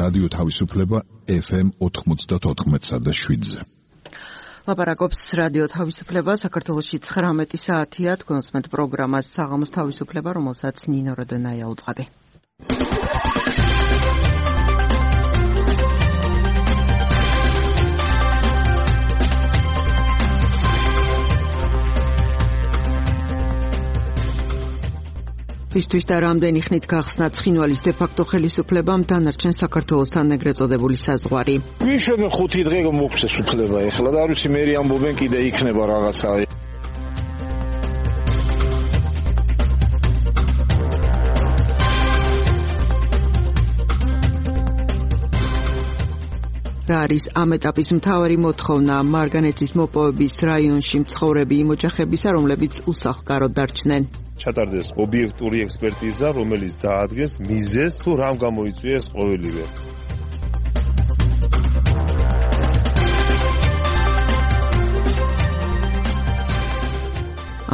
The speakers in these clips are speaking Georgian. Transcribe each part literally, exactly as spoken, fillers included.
რადიო თავისუფლება ეფ ემ ოთხმოცდაოთხ და შვიდზე. ლაპარაკობს რადიო თავისუფლება, საქართველოში ცხრამეტი საათია, თქვენ უსმენთ პროგრამას საღამოს თავისუფლება, რომელსაც ნინო როდონაია უძღვები. ისთვის და რამდენი ხნით გახსნა ცხინვალის დე-ფაქტო ხელისუფლებამ დანარჩენ საქართველოსთან ეგრეთ წოდებული საზღვარი. გვიშვებენ ხუთი დღე მოგვცეს უფლება ეხლა და არ ვიცი მე ამბობენ კიდე იქნება რაღაცა. რა არის ამ ეტაპის მთავარი მოთხოვნა მარგანეცის მოპოვების რაიონში მცხოვრები იმ ოჯახებისა, რომლებიც უსახლკაროდ დარჩნენ? ჩატარდეს ობიექტური ექსპერტიზა, რომელიც დაადგეს მიზეზს თუ რამ გამოიწვია ეს ყოველივე.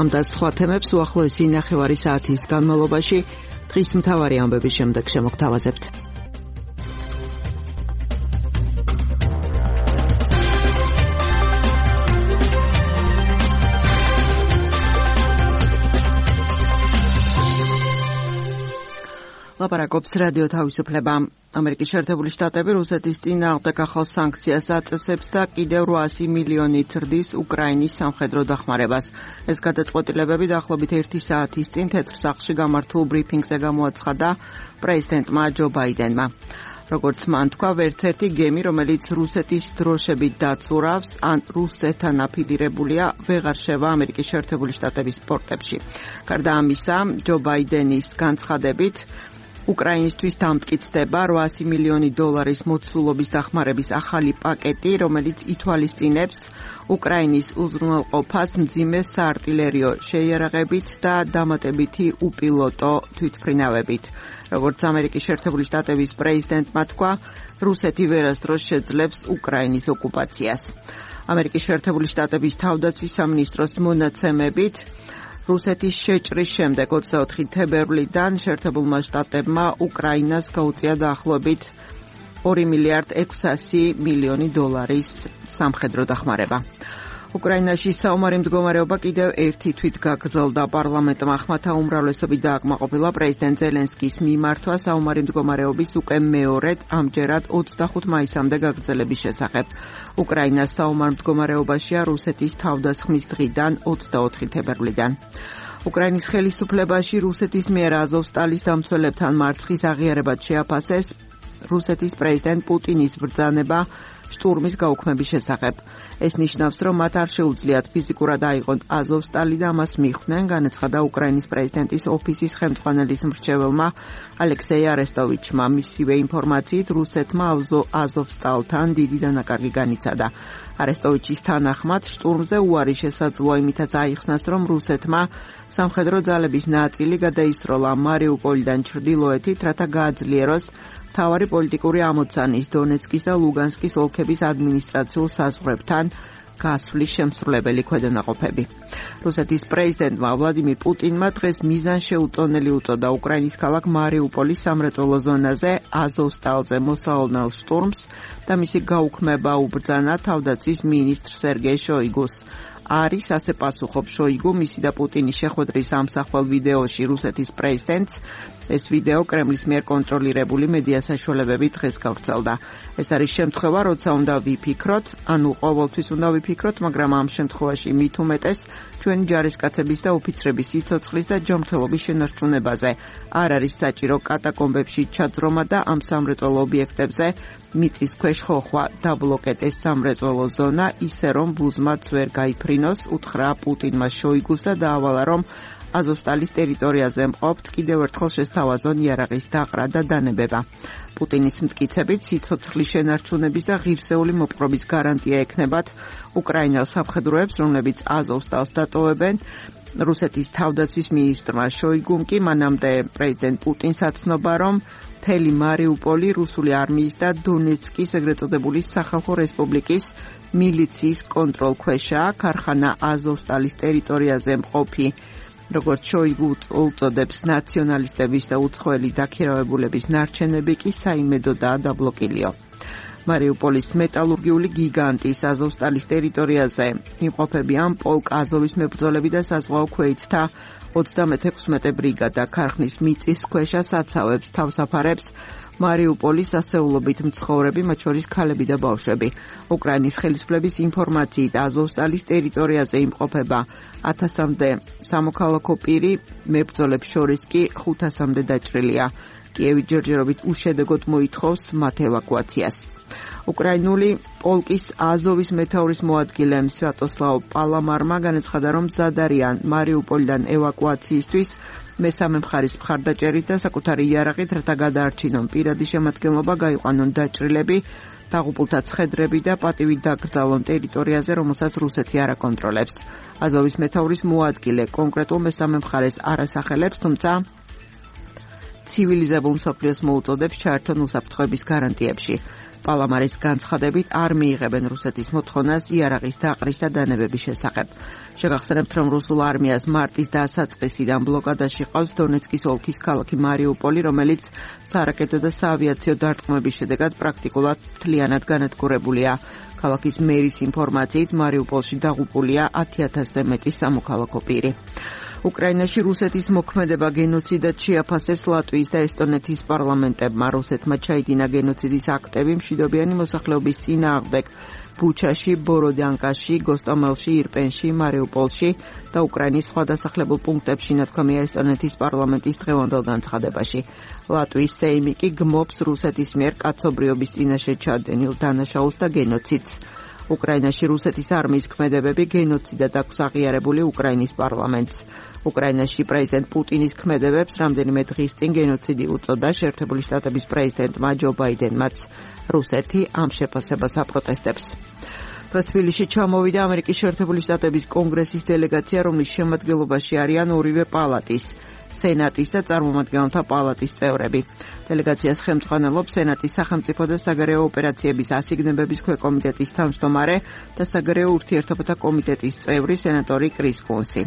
ამ და სხვა თემებს უახლოესი ნახევარი საათის განმავლობაში დღის მთავარი ამბების შემდეგ შემოგთავაზებთ. ლაპარაკობს რადიო თავისუფლება. ამერიკის შეერთებული შტატები რუსეთის წინააღმდეგ ახალ სანქციას აწესებს და კიდევ რვაასი მილიონით ზრდის უკრაინის სამხედრო დახმარებას. ეს გადაწყვეტილებები დაახლოებით ერთი საათის წინ თეთრ სახლში გამართულ ბრიფინგზე გამოაცხადა პრეზიდენტმა ჯო ბაიდენმა. როგორც მან თქვა, ვერც ერთი გემი, რომელიც რუსეთის დროშებით დაცურავს ან რუსეთთან აფილირებულია, ვეღარ შევა ამერიკის შეერთებული შტატების პორტებში. გარდა ამისა, ჯო ბაიდენის განცხადებით უკრაინისთვის დამტკიცდება რვაასი მილიონი დოლარის მოცულობის დახმარების ახალი პაკეტი, რომელიც ითვალისწინებს უკრაინის უზრუნველყოფას მძიმე საარტილერიო შეიარაღებით და დამატებითი უპილოტო თვითმფრინავებით. როგორც ამერიკის შეერთებული შტატების პრეზიდენტმა თქვა, რუსეთი ვერასდროს შეძლებს უკრაინის ოკუპაციას. ამერიკის შეერთებული შტატების თავდაცვის სამინისტროს მონაცემებით რუსეთის შეჭრის შემდეგ ოცდაოთხი თებერვლიდან შეერთებულმა შტატებმა უკრაინას გაუწია დაახლოებით ორი მილიარდ ექვსასი მილიონი დოლარის სამხედრო დახმარება. უკრაინაში საომარი მდგომარეობა კიდევ ერთი თვით გაგრძელდა. პარლამენტმა ხმათა უმრავლესობით დააკმაყოფილა პრეზიდენტ ზელენსკის მიმართვა საომარი მდგომარეობის უკვე მეორედ ამჯერად ოცდახუთ მაისამდე გაგრძელების შესახებ. უკრაინა საომარ მდგომარეობაშია რუსეთის თავდასხმის დღიდან ოცდაოთხი თებერვლიდან. უკრაინის ხელისუფლებაში რუსეთის მიერ აზოვსტალის დამცველებთან მარცხის აღიარებად შეაფასეს რუსეთის პრეზიდენტ პუტინის ბრძანება შტურმის გაუქმების შესახებ. ეს ნიშნავს, რომ მათ არ შეუძლიათ ფიზიკურად აიღონ აზოვსტალი და ამას მიხვდნენ, განაცხადა უკრაინის პრეზიდენტის ოფისის ხელმძღვანელის მრჩეველმა ალექსეი არესტოვიჩმა. მისივე ინფორმაციით, რუსეთმა აზოვსტალთან დიდი დანაკარგი განიცადა. არესტოვიჩის თანახმად, შტურმზე უარი შესაძლოა იმითაც აიხსნას, რომ რუსეთმა სამხედრო ძალების ნაწილი გადაისროლა მარიუპოლიდან ჩრდილოეთით, რათა გააძლიეროს მთავარი პოლიტიკური ამოცანის დონეცკის და ლუგანსკის ოლქების ადმინისტრაციულ საზღვრებთან გასვლის შემსრულებელი ქვედანაყოფები. რუსეთის პრეზიდენტმა ვლადიმირ პუტინმა დღეს მიზანშეუწონელი უწოდა უკრაინის ქალაქ მარიუპოლის სამრეწველო ზონაზე აზოვსტალზე მოსალოდნელ შტურმს და მისი გაუქმება უბრძანა თავდაცვის მინისტრ სერგეი შოიგუს. არის ასე პასუხობს შოიგუ მისი და პუტინის შეხვედრის ამსახველ ვიდეოში რუსეთის პრეზიდენტს. ეს ვიდეო კრემლის მიერ კონტროლირებული მედია საშუალებები დღეს გავრცელდა. ეს არის შემთხვევა, როცა უნდა ვიფიქროთ, ანუ ყოველთვის უნდა ვიფიქროთ, მაგრამ ამ შემთხვევაში მით უმეტეს ჩვენი ჯარისკაცების და ოფიცრების სიცოცხლის და ჯანმრთელობის შენარჩუნებაზე. არ არის საჭირო კატაკომბებში ჩაძრომა და ამ სამრეწველო ობიექტებზე მიწის ქვეშ ხოხვა. დაბლოკეტეს სამრეწველო ზონა ისე, რომ ბუზმაც ვერ გაიფრინოს, უთხრა პუტინმა შოიგუს და დაავალა, რომ აზოვსტალის ტერიტორიაზე მყოფთ კიდევ ერთხელ შესთავაზონ იარაღის დაყრა და დანებება. პუტინის მტკიცებით სიცოცხლის შენარჩუნების და ღირსეული მოპყრობის გარანტია ექნებათ უკრაინელ სამხედროებს, რომლებიც აზოვსტალს დატოვებენ. რუსეთის თავდაცვის მინისტრმა შოიგუმ კი მანამდე პრეზიდენტ პუტინს აცნობა, რომ მთელი მარიუპოლი რუსული არმიის და დონეცკის ეგრეთ წოდებული სახალხო რესპუბლიკის მილიციის კონტროლქვეშაა. ქარხანა აზოვსტალის ტერიტორიაზე მყოფი როგორც შოიგუ უწოდებს, ნაციონალისტების და უცხოელი დაქირავებულების ნარჩენები კი საიმედოდაა დაბლოკილიო. მარიუპოლის მეტალურგიული გიგანტის აზოვსტალის ტერიტორიაზე იმყოფებიან პოლკ აზოვის მებრძოლები და საზღვაო ქვეითთა ოცდამეთექვსმეტე ბრიგადა ქარხნის მიწისქვეშა საცავებს თავსაფარებს მარიუპოლის ასეულობით მცხოვრები, მათ შორის ქალები და ბავშვები. უკრაინის ხელისუფლების ინფორმაციით აზოვსტალის ტერიტორიაზე იმყოფება ათასამდე სამოქალაქო პირი, მებრძოლებს შორის კი ხუთასამდე დაჭრილია. კიევი ჯერჯერობით უშედეგოდ მოითხოვს მათ ევაკუაციას. უკრაინული პოლკის აზოვის მეთაურის მოადგილე სვიატოსლავ პალამარმა განაცხადა, რომ მზად არიან მარიუპოლიდან ევაკუაციისთვის მესამე მხარის მხარდაჭერით და საკუთარი იარაღით, რათა გადაარჩინონ პირადი შემადგენლობა, გაიყვანონ დაჭრილები, დაღუპულთა ცხედრები და პატივით დაკრძალონ ტერიტორიაზე, რომელსაც რუსეთი არ აკონტროლებს. აზოვის მეთაურის მოადგილე კონკრეტულ მესამე მხარეს არ ასახელებს, თუმცა ცივილიზებულ მსოფლიოს მოუწოდებს ჩაერთონ უსაფრთხოების გარანტიებში. პალამარის განცხადებით არ მიიღებენ რუსეთის მოთხოვნას იარაღის დაყრის და დანებების შესახებ. შეგახსენებთ, რომ რუსულ არმიას მარტის დასაწყისიდან ბლოკადაში ყავს დონეცკის ოლქის ქალაქი მარიუპოლი, რომელიც სარაკეტო და საავიაციო დარტყმების შედეგად პრაქტიკულად მთლიანად განადგურებულია. ქალაქის მერის ინფორმაციით მარიუპოლში დაღუპულია ათი ათასზე მეტი სამოქალაქო პირი. უკრაინაში რუსეთის მოქმედება გენოციდად შეაფასეს ლატვიის და ესტონეთის პარლამენტებმა. რუსეთმა ჩაიდინა გენოციდის აქტები მშვიდობიანი მოსახლეობის წინააღმდეგ ბუჩაში, ბოროდიანკაში, გოსტომელში, ირპენში, მარიუპოლში და უკრაინის სხვა დასახლებულ პუნქტებში, ნათქვამია ესტონეთის პარლამენტის დღევანდელ განცხადებაში. ლატვიის სეიმი კი გმობს რუსეთის მიერ კაცობრიობის წინაშე ჩადენილ დანაშაულს და გენოციდს. უკრაინაში რუსეთის არმიის ქმედებები გენოციდად აქვს აღიარებული უკრაინის პარლამენტს. უკრაინაში პრეზიდენტ პუტინის ქმედებებს რამდენიმე დღის წინ გენოციდი უწოდა. შეერთებული შტატების პრეზიდენტმა ჯო ბაიდენმაც რუსეთი ამ შეფასებას აპროტესტებს. დღეს თბილისში ჩამოვიდა ამერიკის შეერთებული შტატების კონგრესის დელეგაცია, რომლის შემადგენლობაში არიან ორივე პალატის, სენატის და წარმომადგენელთა პალატის წევრები. დელეგაციას ხელმძღვანელობს სენატის სახელმწიფო და საგარეო ოპერაციების ასიგნებების ქვეკომიტეტის თავმჯდომარე და საგარეო ურთიერთობათა კომიტეტის წევრი სენატორი კრის კუნსი.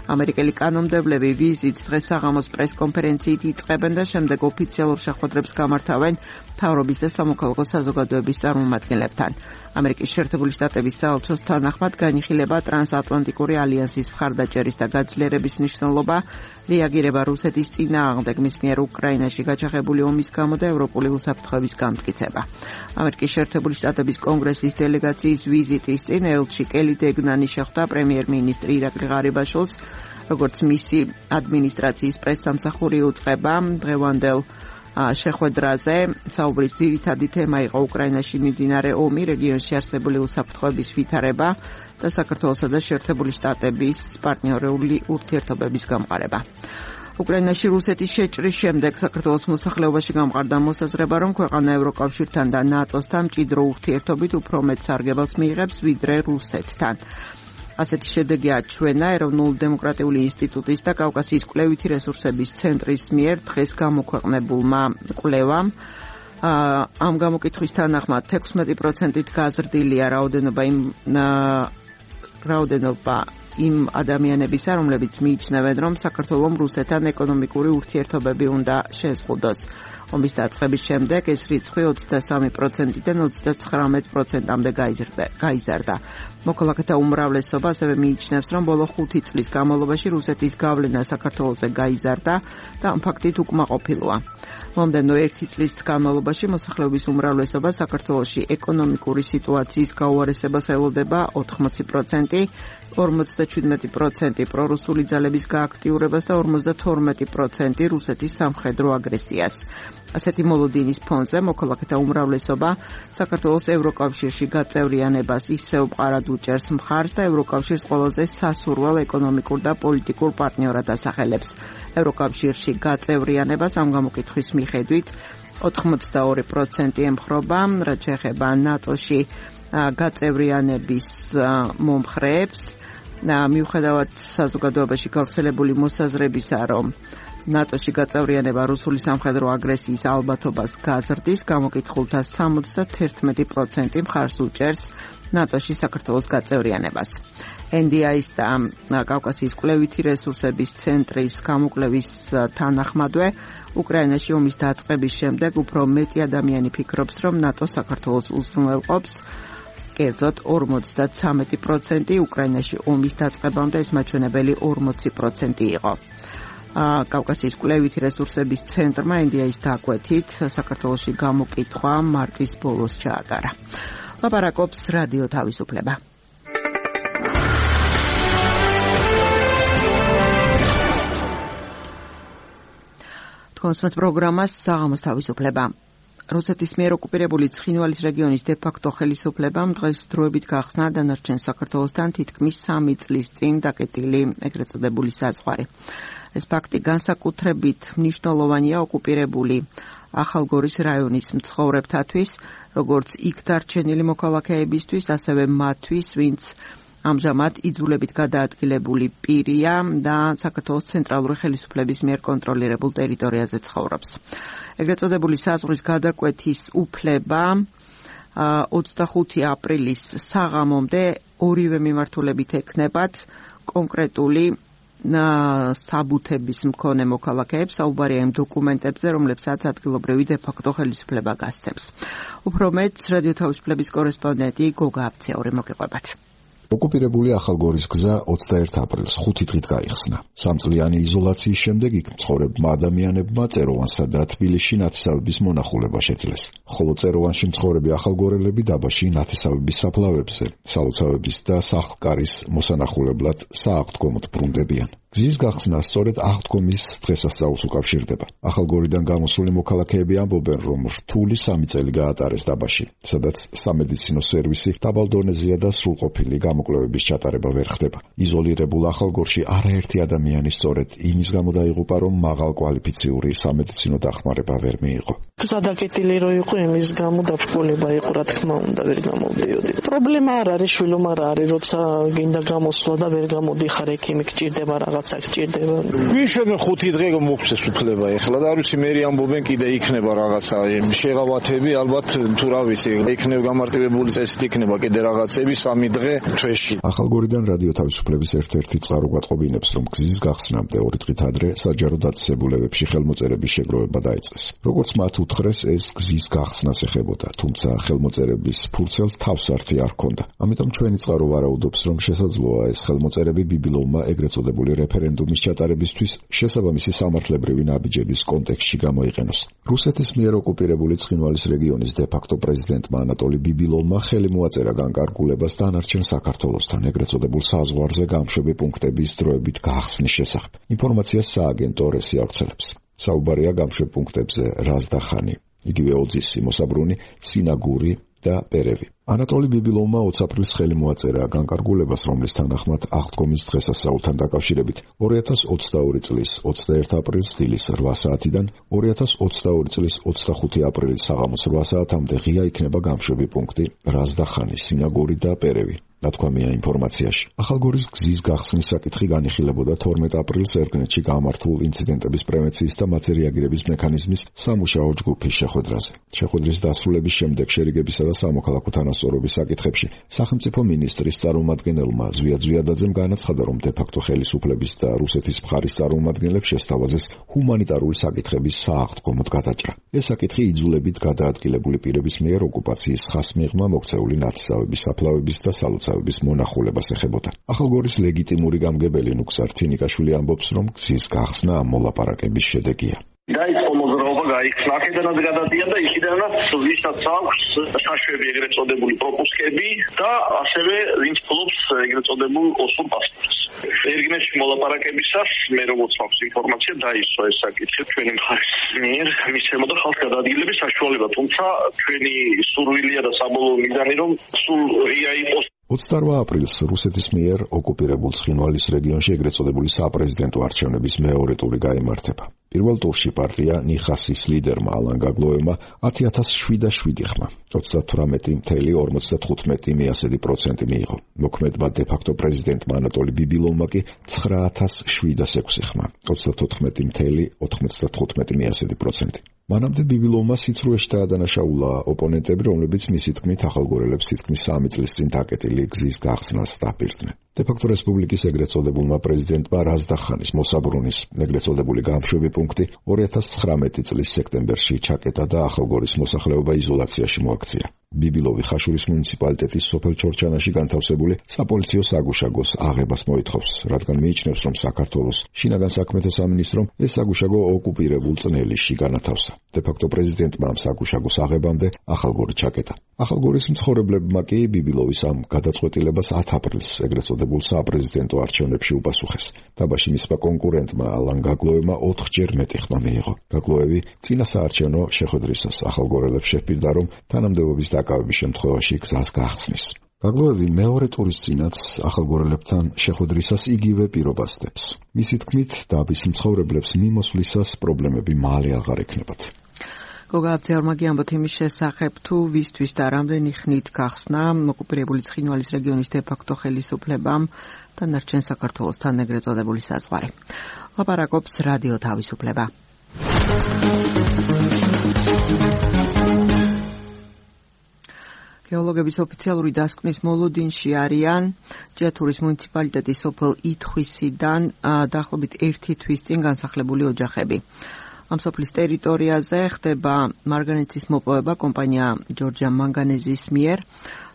ამერიკელი კანონმდებლები ვიზიტს დღეს საღამოს პრესკონფერენციით იწყებენ და შემდეგ ოფიციალურ შეხვედრებს გამართავენ მთავრობის და სამოქალაქო საზოგადოების წარმომადგენლებთან. ამერიკის შეერთებული შტატების საელჩოს თანახმად განიხილება ტრანსატლანტიკური ალიანსის მხარდაჭერის და გაძლიერების მნიშვნელობა, რეაგირება რუსეთის წინააღმდეგ მის მიერ უკრაინაში გაჩაღებული ომის გამო და ევროპული უსაფრთხოების გამტკიცება. ამერიკის შეერთებული შტატების კონგრესის დელეგაციის ვიზიტის წინ ელჩი კელი დეგნანი შეხვდა პრემიერ-მინისტრი ირაკლი ღარიბაშვილს, როგორც მისი ადმინისტრაციის პრესსამსახური უწყება დღევანდელ შეხვედრაზე. საუბრის ძირითადი თემა იყო უკრაინაში მიმდინარე ომი, რეგიონში არსებული უსაფრთხოების ვითარება და საქართველოსა და შეერთებული შტატების პარტნიორული ურთიერთობების გამყარება. უკრაინაში რუსეთის შეჭრის შემდეგ საქართველოს მოსახლეობაში გამყარდა მოსაზრება, რომ ქვეყანა ევროკავშირთან და ნატოსთან მჭიდრო ურთიერთობით უფრო მეტ სარგებელს მიიღებს ვიდრე რუსეთთან. ასეთი შედეგი აჩვენა ეროვნულ დემოკრატიული ინსტიტუტის და კავკასიის კვლევითი რესურსების ცენტრის მიერ დღეს გამოქვეყნებულმა კვლევამ. ამ გამოკითხვის თანახმად თექვსმეტი პროცენტით გაზრდილია რაოდენობა იმ რაოდენობა იმ ადამიანებისა, რომლებიც მიიჩნევენ, რომ საქართველომ რუსეთთან ეკონომიკური ურთიერთობები უნდა შეზღუდოს. ომის დაწყების შემდეგ ეს რიცხვი ოცდასამი პროცენტიდან ოცდაცხრამეტ პროცენტამდე გაიზარდა. მოქალაქეთა უმრავლესობა ასევე მიიჩნევს, რომ ბოლო ხუთი წლის განმავლობაში რუსეთის გავლენა საქართველოზე გაიზარდა და ამ ფაქტით უკმაყოფილოა. მომდევნო ერთი წლის განმავლობაში მოსახლეობის უმრავლესობა საქართველოში ეკონომიკური სიტუაციის გაუარესებას ელოდება ოთხმოცი პროცენტი, ორმოცდაჩვიდმეტი პროცენტი პრორუსული ძალების გააქტიურებას და ორმოცდათორმეტი პროცენტი რუსეთის სამხედრო აგრესიას. ასეთი მოლოდინის ფონზე მოქალაქეთა უმრავლესობა საქართველოს ევროკავშირში გაწევრიანებას ისევ მყარად უჭერს მხარს და ევროკავშირს ყველაზე სასურველ ეკონომიკურ და პოლიტიკურ პარტნიორად ასახელებს. ევროკავშირში გაწევრიანებას ამ გამოკითხვის მიხედვით ოთხმოცდაორი პროცენტი ემხრობა, რაც შეეხება ნატოში გაწევრიანების მომხრეებს. მიუხედავად საზოგადოებაში გავრცელებული მოსაზრებისა, რომ ნატოში გაწევრიანება რუსული სამხედრო აგრესიის ალბათობას გაზრდის, გამოკითხულთა სამოცდათერთმეტი პროცენტი მხარს უჭერს ნატოში საქართველოს გაწევრიანებას. ენ დი აის და კავკასიის კვლევითი რესურსების ცენტრის გამოკვლევის თანახმადვე უკრაინაში ომის დაწყების შემდეგ უფრო მეტი ადამიანი ფიქრობს, რომ ნატო საქართველოს უზრუნველყოფს. კერძოდ ორმოცდათრამეტი პროცენტი, უკრაინაში ომის დაწყებამდე ეს მაჩვენებელი ორმოცი პროცენტი იყო. კავკასიის კვლევითი რესურსების ცენტრმა ენ დი აის დაკვეთით საქართველოში გამოკითხვა მარტის ბოლოს ჩაატარა. ლაპარაკობს რადიო თავისუფლება. კონსმეთ პროგრამას საღამოს თავისუფლება. რუსეთის მიერ ოკუპირებული ცხინვალის რეგიონის დე-ფაქტო ხელისუფლებამ დღეს დროებით გახსნა დანარჩენ საქართველოსთან თითქმის სამი წლის წინ დაკეტილი ეგრეთ წოდებული საზღვარი. ეს ფაქტი განსაკუთრებით მნიშვნელოვანია ოკუპირებული ახალგორის რაიონის მცხოვრებთათვის, როგორც იქ დარჩენილი მოქალაქეებისთვის, ასევე მათთვის, ვინც ამჟამად იძულებით გადაადგილებული პირია და საქართველოს ცენტრალური ხელისუფლების მიერ კონტროლირებულ ტერიტორიაზე ცხოვრობს. ეგრეთ წოდებული საზღვრის გადაკვეთის უფლება ოცდახუთი აპრილის საღამომდე ორივე მიმართულებით ექნებათ კონკრეტული საბუთების მქონე მოქალაქეებს, საუბარია იმ დოკუმენტებზე, რომლებსაც ადგილობრივი დე-ფაქტო ხელისუფლება გასცემს. უფრო მეტს რადიო თავისუფლების კორესპონდენტი გოგა აფციური მოგიყვებათ. ოკუპირებული ახალგორის გზა ოცდაერთი აპრილს ხუთი დღით გაიხსნა. სამწლიანი იზოლაციის შემდეგ იქ მცხოვრებმა ადამიანებმა წეროვანსა და თბილისში ნათესავების მონახულება შეძლეს. ხოლო წეროვანში მცხოვრები ახალგორელები დაბაში ნათესავების საფლავებზე, სალოცავების და სახლკარის მოსანახულებლად სააღდგომოდ ბრუნდებიან. გზის გახსნა სწორედ აღდგომის დღესასწაულს უკავშირდება. ახალგორიდან გამოსული მოქალაქეები ამბობენ, რომ რთული სამი წელი გაატარეს დაბაში, სადაც სამედიცინო სერვისი დაბალ დონეზეა და სრულყოფილი გამოკვლევების ჩატარება ვერ ხდება. იზოლირებულ ახალგორში არაერთი ადამიანი სწორედ იმის გამო დაიღუპა, რომ მაღალკვალიფიციური სამედიცინო დახმარება ვერ მიიღო. გადაკეტილი რო იყო იმის გამო დაბრკოლება იყო, რა თქმა უნდა, ვერ გამოვდიოდი. პრობლემა არ არის, შვილო, არ არის, როცა გინდა გამოსვლა და ვერ გამოდიხარ, ექიმი გჭირდება, რაღაცა გჭირდება. ვიშენ ხუთი დღე მოგვცეს უფლება ეხლა და არ ვიცი მე ამბობენ კიდე იქნება რაღაცა შეღავათები, ალბათ თუ რა ვიცი, იქნება გამარტივებული წესით იქნება კიდე რაღაცები სამი დღე თვეში. ახალგორიდან რადიო თავისუფლების ერთ-ერთი წყარო გვატყობინებს, რომ გზის გახსნამდე ორი დღით ადრე საჯარო დაწესებულებებში ხელმოწერების შეგროვება დაიწყეს. როგორც მათ უთხრეს, ეს გზის გახსნას ეხებოდა, თუმცა ხელმოწერების ფურცელს თავსართი არ ჰქონდა. ამიტომ ჩვენი წყარო ვარაუდობს, რომ შესაძლოა ეს ხელმოწერები ბიბილოვმა ეგრეთ წოდებული რეფერენდუმის ჩატარებისთვის შესაბამისი სამართლებრივი ნაბიჯების კონტექსტში გამოიყენოს. რუსეთის მიერ ოკუპირებული ცხინვალის რეგიონის დე-ფაქტო პრეზიდენტმა ანატოლი ბიბილოვმა ხელი მოაწერა განკარგულებას დანარჩენ საქართველოსთან ეგრეთ წოდებულ საზღვარზე გამშვები პუნქტების დროებით გახსნის შესახებ. ინფორმაციას სააგენტო რესი ავრცელებს. საუბარია გამშვებ პუნქტებზე რაზდახანი, იგივე ოძისი, მოსაბრუნი, სინაგური და პერევი. ანატოლი ბიბილოვმა ოცი აპრილს ხელი მოაწერა განკარგულებას, რომლის თანახმად აღდგომის დღესასწაულთან დაკავშირებით ორი ათას ოცდაორი წლის ოცდაერთი აპრილის დილის რვა საათიდან ორი ათას ოცდაორი წლის ოცდახუთი აპრილის საღამოს რვა საათამდე ღია იქნება გამშვები პუნქტი რაზდახანი, სინაგური და პერევი. ნათქვამია ინფორმაციაში. ახალგორის გზის გახსნის საკითხი განიხილებოდა თორმეტი აპრილს ერგნეთში გამართულ ინციდენტების პრევენციის და მათზე რეაგირების მექანიზმის სამუშაო ჯგუფის შეხვედრაზე. შეხვედრის დასრულების შემდეგ შერიგებისა და სამოქალაქო თანასწორობის საკითხებში სახელმწიფო მინისტრის წარმომადგენელმა ზვიად ზვიადაძემ განაცხადა, რომ დე-ფაქტო ხელისუფლების და რუსეთის მხარის წარმომადგენლებს შესთავაზეს ჰუმანიტარული საკითხების სააღდგომოდ გადაჭრა. ეს საკითხი იძულებით გადაადგილებული პირების მიერ ოკუპაციის ხას მიღმა მოქცეული ნათესავების საფლავების და სალოცავების მონახულებას ეხებოდა. ახალგორის ლეგიტიმური გამგებელი ნუქსარ თინიკაშვილი ამბობს, რომ გზის გახსნა ამ მოლაპარაკების შედეგია. დაიწყო მოძრაობა, გაიხსნა აქედანაც გადადია და იქიდანაც ვისაც აქვს საშვები ეგრეთ წოდებული პროპუსკები და ასევე ვინც ფლობს ეგრეთ წოდებულ ოსურ პასპორტს. ერგნეთში მოლაპარაკებისას მე როგორც მაქვს ინფორმაცია დაისვა ეს საკითხი ჩვენი მხარის მიერ მისცემოდა ხალხს გადაადგილების საშუალება, თუმცა ჩვენი სურვილია და საბოლოო მიზანი რომ სულ ღია იყოს. ოცდარვა აპრილს რუსეთის მიერ ოკუპირებულ ცხინვალის რეგიონში ეგრეთ წოდებული საპრეზიდენტო არჩევნების მეორე ტური გაიმართება. პირველ ტურში პარტია ნიხასის ლიდერმა ალან გაგლოევმა ათი ათას შვიდაშვიდი ხმა, ოცდათვრამეტი წელი ორმოცდათხუთმეტი მიასედი პროცენტი მიიღო. მოქმედმა დე-ფაქტო პრეზიდენტმა ანატოლი ბიბილოვმა კი ცხრა ათას შვიდას ექვსი ხმა, ოცდათოთხმეტი წელი ოთხმოცდათხუთმეტი მიასედი პროცენტი. მანამდე ბიბილოვმა სიცრუეში დაადანაშაულა ოპონენტები, რომლებიც მისი თქმით ახალგორელებს თითქმის სამი წლის წინ დაკეტილი გზის გახსნას დაპირდნენ. დე-ფაქტო რესპუბლიკის ეგრეთ წოდებულმა პრეზიდენტმა რაზდახანის მოსაბრუნის ეგრეთ წოდებული განმშვები პუნქტი ორი ათას ცხრამეტი წლის სექტემბერში ჩაკეტა და ახალგორის მოსახლეობა იზოლაციაში მოაქცია. ბიბილოვი ხაშურის მუნიციპალიტეტის სოფელ ჩორჩანაში განთავსებული საპოლიციო საგუშაგოს აღებას მოითხოვს, რადგან მიიჩნევს, რომ საქართველოს შინაგან საქმეთა სამინისტრომ ეს საგუშაგო ოკუპირებულ წნელიში განათავსა. დე-ფაქტო პრეზიდენტმა ამ საგუშაგოს აღებამდე ახალგორი ჩაკეტა. ახალგორის მცხოვრებლებმა კი ბიბილოვის ამ გადაწყვეტილებას ათ აპრილს ეგრეთ წოდებულ საპრეზიდენტო არჩევნებში უპასუხეს. დაბაში მისმა კონკურენტმა ალან გაგლოევმა ოთხჯერ მეტი ხმა მიიღო. გაგლოევი წინა საარჩევნო შეხვედრისას ახალგორელებს შეჰპირდა, რომ თანამდებობის დაკავების შემთხვევაში გზას გაახსნის. გაგლოევი მეორე ტურის წინაც ახალგორელებთან შეხვედრისას იგივე პირობას დებს. მისი თქმით, დაბის მცხოვრებლებს მიმოსვლისას პრობლემები მალე აღარ ექნებათ. გოგა აბძეარმაგი ამბობთ იმის შესახებ, თუ ვისთვის და რამდენი ხნით გახსნა ოკუპირებული ცხინვალის რეგიონის დე-ფაქტო ხელისუფლებამ დანარჩენ საქართველოსთან ეგრეთ წოდებული საზღვარი. ლაპარაკობს რადიო თავისუფლება. გეოლოგების ოფიციალური დასკვნის მოლოდინში არიან ჭიათურის მუნიციპალიტეტის სოფელ ითხვისიდან დაახლოებით ერთი თვის წინ განსახლებული ოჯახები. ამ სოფლის ტერიტორიაზე ხდება მარგანეცის მოპოვება კომპანია ჯორჯია მანგანეზის მიერ.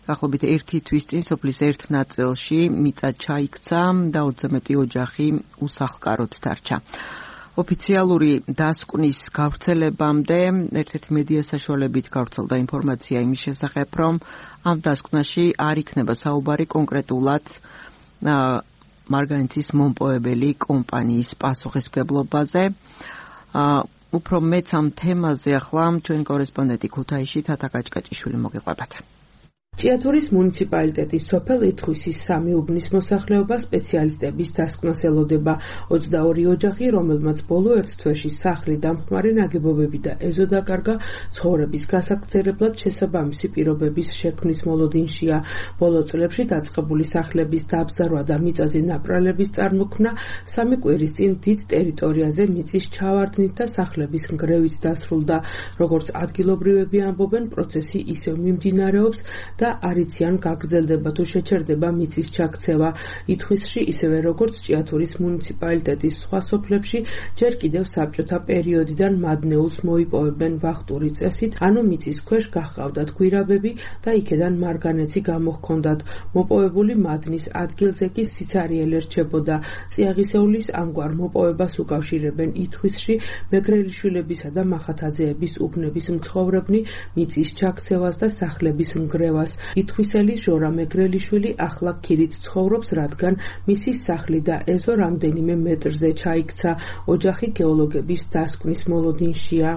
დაახლოებით ერთი თვის წინ სოფლის ერთ ნაწილში მიწა ჩაიქცა და ოცზე მეტი ოჯახი უსახლკაროდ დარჩა. ოფიციალური დასკვნის გავრცელებამდე ერთ-ერთი მედია საშუალებით გავრცელდა ინფორმაცია იმის შესახებ, რომ ამ დასკვნაში არ იქნება საუბარი კონკრეტულად მარგანეცის მომპოვებელი კომპანიის პასუხისმგებლობაზე. უფრო მეც ამ თემაზე ახლა ჩვენი კორესპონდენტი ქუთაისში თათა კაჭკაჭიშვილი მოგიყვებათ. ჭიათურის მუნიციპალიტეტის სოფელ ითხვისის სამი უბნის მოსახლეობა სპეციალისტების დასკვნას ელოდება. ოცდაორი ოჯახი, რომელმაც ბოლო ერთ თვეში სახლი დამხმარე ნაგებობები და ეზო დაკარგა, ცხოვრების გასაგრძელებლად შესაბამისი პირობების შექმნის მოლოდინშია. ბოლო წლებში დაწყებული სახლების დაბზარვა და მიწაზე ნაპრალების წარმოქმნა სამი კვირის წინ დიდ ტერიტორიაზე მიწის ჩავარდნით და სახლების ნგრევით დასრულდა. როგორც ადგილობრივები ამბობენ, პროცესი ისევ მიმდინარეობს და არ იციან გაგრძელდება თუ შეჩერდება მიწის ჩაქცევა. ითხვისში ისევე როგორც ჭიათურის მუნიციპალიტეტის სხვა სოფლებში ჯერ კიდევ საბჭოთა პერიოდიდან მადნეულს მოიპოვებენ ვახტური წესით, ანუ მიწის ქვეშ გაჰყავდათ გვირაბები და იქედან მარგანეცი გამოჰქონდათ. მოპოვებული მადნის ადგილზე კი სიცარიელი რჩებოდა. წიაღისეულის ამგვარ მოპოვებას უკავშირებენ ითხვისში მეგრელიშვილებისა და მახათაძეების უბნების მცხოვრებნი, მიწის ჩაქცევას და სახლების ნგრევას. ითხვისელი ჟორა მეგრელიშვილი ახლა ქირით ცხოვრობს, რადგან მისი სახლი და ეზო რამდენიმე მეტრზე ჩაიქცა. ოჯახი გეოლოგების დასკვნის მოლოდინშია.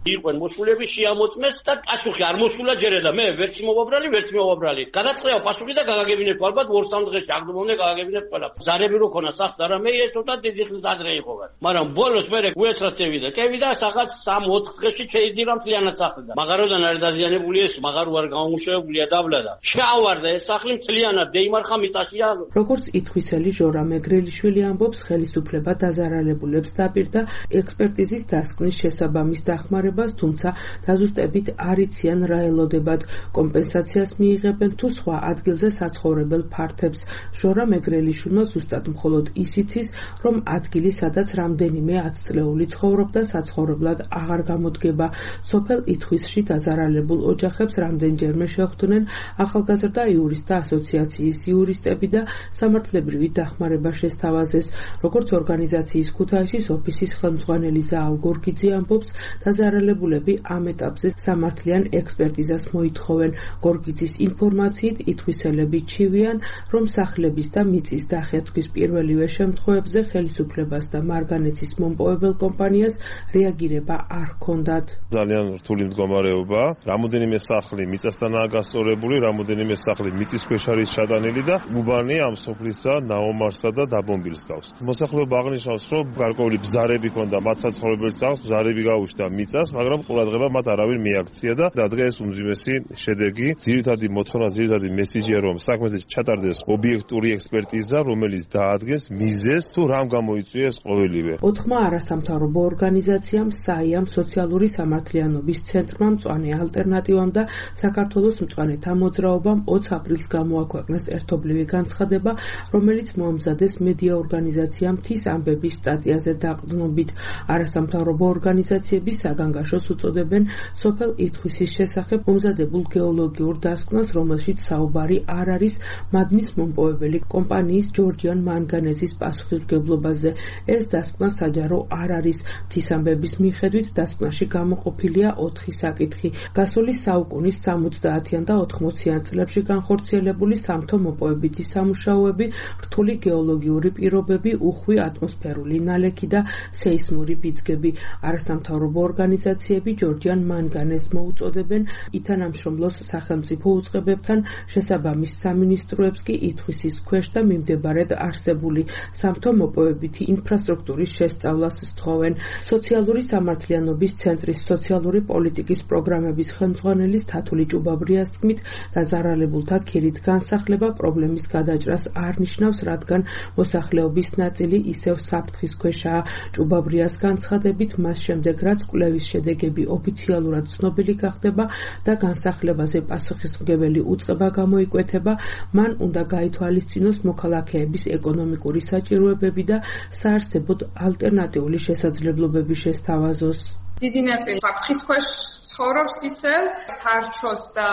იყვენ მოსულები შეამოწმეს და პასუხი არ მოსულა ჯერა და მე ვერც მოვაბრალი, ვერც მოვაბრალი. გადაწყევა პასუხი და გაგაგებინებ ალბათ ორ სამ დღეში აგდომონე გაგაგებინებ ყველა. ზარები რო ქონა სახს და რამე ეს ცოტა დიდი ხნის ადრე იყოვა. მაგრამ ბოლოს მე უესრად წევიდა. წევიდა რაღაც სამ ოთხ დღეში შეიძლება მთლიანად სახლი და მაღაროდან არ დაზიანებული ეს მაღარო არ გამომუშავებულია დაბლა და შეავარდა ეს სახლი მთლიანად დეიმარხა მიწაშია. როგორც ითხვისელი ჟორა მეგრელიშვილი ამბობს, ხელისუფლება დაზარალებულებს დაპირდა ექსპერტიზის დასკვნის შესაბამის დახმარება, თუმცა დაზუსტებით არ იციან რა ელოდებათ, კომპენსაციას მიიღებენ თუ სხვა ადგილზე საცხოვრებელ ფართებს. ჟორა მეგრელიშვილმა ზუსტად მხოლოდ ის იცის, რომ ადგილი, სადაც რამდენიმე ათწლეული ცხოვრობდა, საცხოვრებლად აღარ გამოდგება. სოფელ ითხვისში დაზარალებულ ოჯახებს რამდენჯერმე შეხვდნენ ახალგაზრდა იურისტთა ასოციაციის იურისტები და სამართლებრივი დახმარება შესთავაზეს. როგორც ორგანიზაციის ქუთაისის ოფისის ხელმძღვანელი ზაალ გორგიძე ამბობს, დაზარალებულები ამ ეტაპზე სამართლიან ექსპერტიზას მოითხოვენ. გორგიძის ინფორმაციით ითხვისელები ჩივიან, რომ სახლების და მიწის დახეთქვის პირველივე შემთხვევებზე ხელისუფლებას და მარგანეცის მომპოვებელ კომპანიას რეაგირება არ ჰქონდათ. ძალიან რთული მდგომარეობა, რამოდენიმე სახლი მიწასთანაა გასწორებული, რამოდენიმე სახლი მიწის ქვეშ არის ჩადანილი და უბანი ამ სოფლისა ნაომარსა და დაბომბილს გავს. მოსახლეობა აღნიშნავს, რომ გარკვეული ბზარები ჰქონდა მათ საცხოვრებელ სახლს, ბზარები გაუჩნდა მიწას, მაგრამ ყურადღება მათ არავინ მიაქცია და დღეს უმძიმესი შედეგი, ძირითადი მოთხოვნა, ძირითადი მესიჯია, რომ საქმეზე ჩატარდეს ობიექტური ექსპერტიზა, რომელიც დაადგენს მიზეზს თუ რამ გამოიწვიეს ყოველივე. ოთხმა არასამთავრობო ორგანიზაციამ, საიამ, სოციალური სამართლიანობის ცენტრმა, მწვანე ალტერნატივამ და საქართველოს მწვანეთა მოძრაობამ ოცი აპრილს გამოაქვეყნეს ერთობლივი განცხადება, რომელიც მოამზადეს მედია ორგანიზაცია მთის ამბების სტატიაზე დაყრდნობით. არასამთავრობო ორგანიზაციები საგანგაშოს უწოდებენ სოფელ ითხვისის შესახებ მომზადებულ გეოლოგიურ დასკვნას, რომელშიც საუბარი არ არის მადნის მომპოვებელი კომპანიის ჯორჯიან მანგანეზის პასუხისმგებლობაზე. ეს დასკვნა საჯარო არ არის. მთის ამბების მიხედვით დასკვნაში გამოყოფილია ოთხი საკითხი. გასული საუკუნის სამოცდაათიან და ოთხმოციან წლებში განხორციელებული სამთო მოპოვებითი სამუშაოები, რთული გეოლოგიური პირობები, უხვი ატმოსფერული ნალექი და სეისმური ბიძგები. არასამთავრობო ორგანიზაციები ჯორჯიან მანგანეზს მოუწოდებენ ითანამშრომლოს სახელმწიფო უწყებებთან, შესაბამის სამინისტროებს კი ითხვისის ქვეშ და მიმდებარედ არსებული სამთო მოპოვებითი ინფრასტრუქტურის შესწავლას სთხოვენ. სოციალური სამართლიანობის ცენტრის სოციალური პოლიტიკის პროგრამების ხელმძღვანელის თათული ჭუბაბრიას თქმით, დაზარალებულთა ქირით განსახლება პრობლემის გადაჭრას არ ნიშნავს, რადგან მოსახლეობის ნაწილი ისევ საფრთხის ქვეშაა. ჭუბაბრიას განცხადებით, მას შემდეგ რაც კვლევის შედეგები ოფიციალურად ცნობილი გახდება და განსახლებაზე პასუხისმგებელი უწყება გამოიკვეთება, მან უნდა გაითვალისწინოს მოქალაქეების ეკონომიკური საჭიროებები და საარსებოდ ალტერნატიული შესაძლებლობები შესთავაზოს. დიდი ნაწილი საფრთხის ქვეშ ცხოვრობს ისევ, სარჩოს და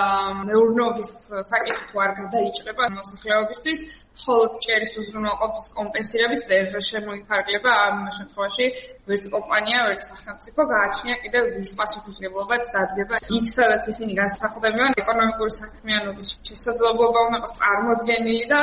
მეურნეობის საკითხი თუ არ გადაიჭრება მოსახლეობისთვის, მხოლოდ ჭერის უზრუნველყოფის კომპენსირებით ვერ შემოიფარგლება. ამ შემთხვევაში ვერც კომპანია, ვერც სახელმწიფო გააჩნია კიდევ ვის პასუხისმგებლობაც დადგება. იქ, სადაც ისინი განსახლებიან, ეკონომიკური საქმიანობის შესაძლებლობა უნდა იყოს წარმოდგენილი და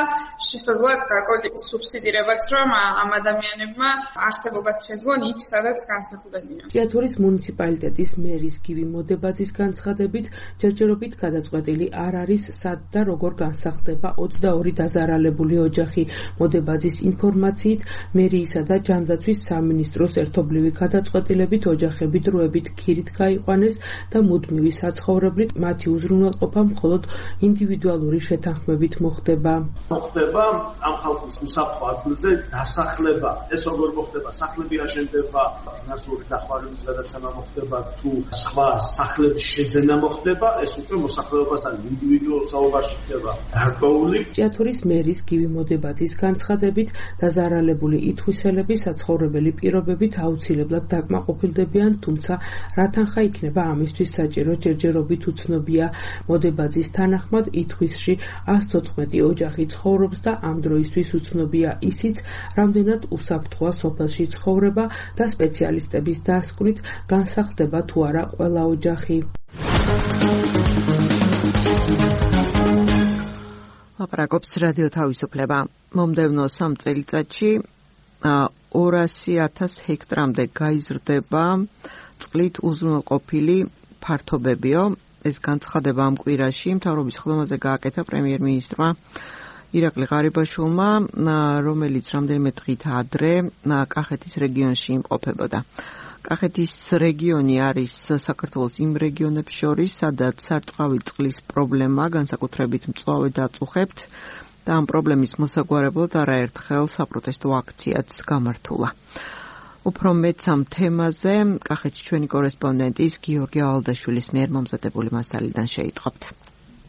შესაძლოა გარკვეული სუბსიდირებაც, რომ ამ ადამიანებმა არსებობაც შეძლონ იქ, სადაც განსახლებიან. ჭიათურის მუნიციპალიტეტის მერის გივი მოდებაძის განცხადებით, ჯერჯერობით გადაწყვეტილი არ არის, სად და როგორ განსახდება ოცდაორი დაზარალებული ოჯახი. მოდებაძის ინფორმაციით, მერიისა და ჯანდაცვის სამინისტროს ერთობლივი გადაწყვეტილებით ოჯახები დროებით ქირით გაიყვანეს და მუდმივი საცხოვრებლით მათი უზრუნველყოფა მხოლოდ ინდივიდუალური შეთანხმებით მოხდება. მოხდება ამ ხალხის უსაფრთხო ადგილზე დასახლება. ეს როგორ მოხდება? სახლები აშენდება, ფინანსური დახმარების გადაცემა მოხდება თუ სხვა სახლების შეძენა მოხდება, ეს უკვე მოსახლეობასთან ინდივიდუალურ საუბარში ხდება გარკვეული. ჭიათურის მერის გივი მოდებაძის განცხადებით, დაზარალებული ითხვისელები საცხოვრებელი პირობებით აუცილებლად დაკმაყოფილდებიან, თუმცა რა თანხა იქნება ამისთვის საჭირო ჯერჯერობით უცნობია. მოდებაძის თანახმად, ითხვისში ას თოთხმეტი ოჯახი ცხოვრობს და ამ დროისთვის უცნობია ისიც, რამდენად უსაფრთხოა სოფელში ცხოვრება და სპეციალისტების დასკვნით განსახდება თუ არა ყველა ოჯახი. ლაპარაკობს რადიო თავისუფლება. მომდევნო სამ წელიწადში ორასი ათას ჰექტრამდე გაიზრდება წყლით უზრუნველყოფილი ფართობებიო. ეს განცხადება ამ კვირაში მთავრობის ხდომაზე გააკეთა პრემიერ-მინისტრმა ირაკლი ღარიბაშვილმა, რომელიც რამდენიმე დღით ადრე კახეთის რეგიონში იმყოფებოდა. კახეთის რეგიონი არის საქართველოს იმ რეგიონებს შორის, სადაც სარწყავი წყლის პრობლემა განსაკუთრებით მწვავე დაწუხებთ და ამ პრობლემის მოსაგვარებლად არაერთხელ საპროტესტო აქციაც გამართულა. უფრო მეც ამ თემაზე კახეთის ჩვენი კორესპონდენტის გიორგი ალდაშვილის მიერ მომზადებული მასალიდან შეიტყობთ.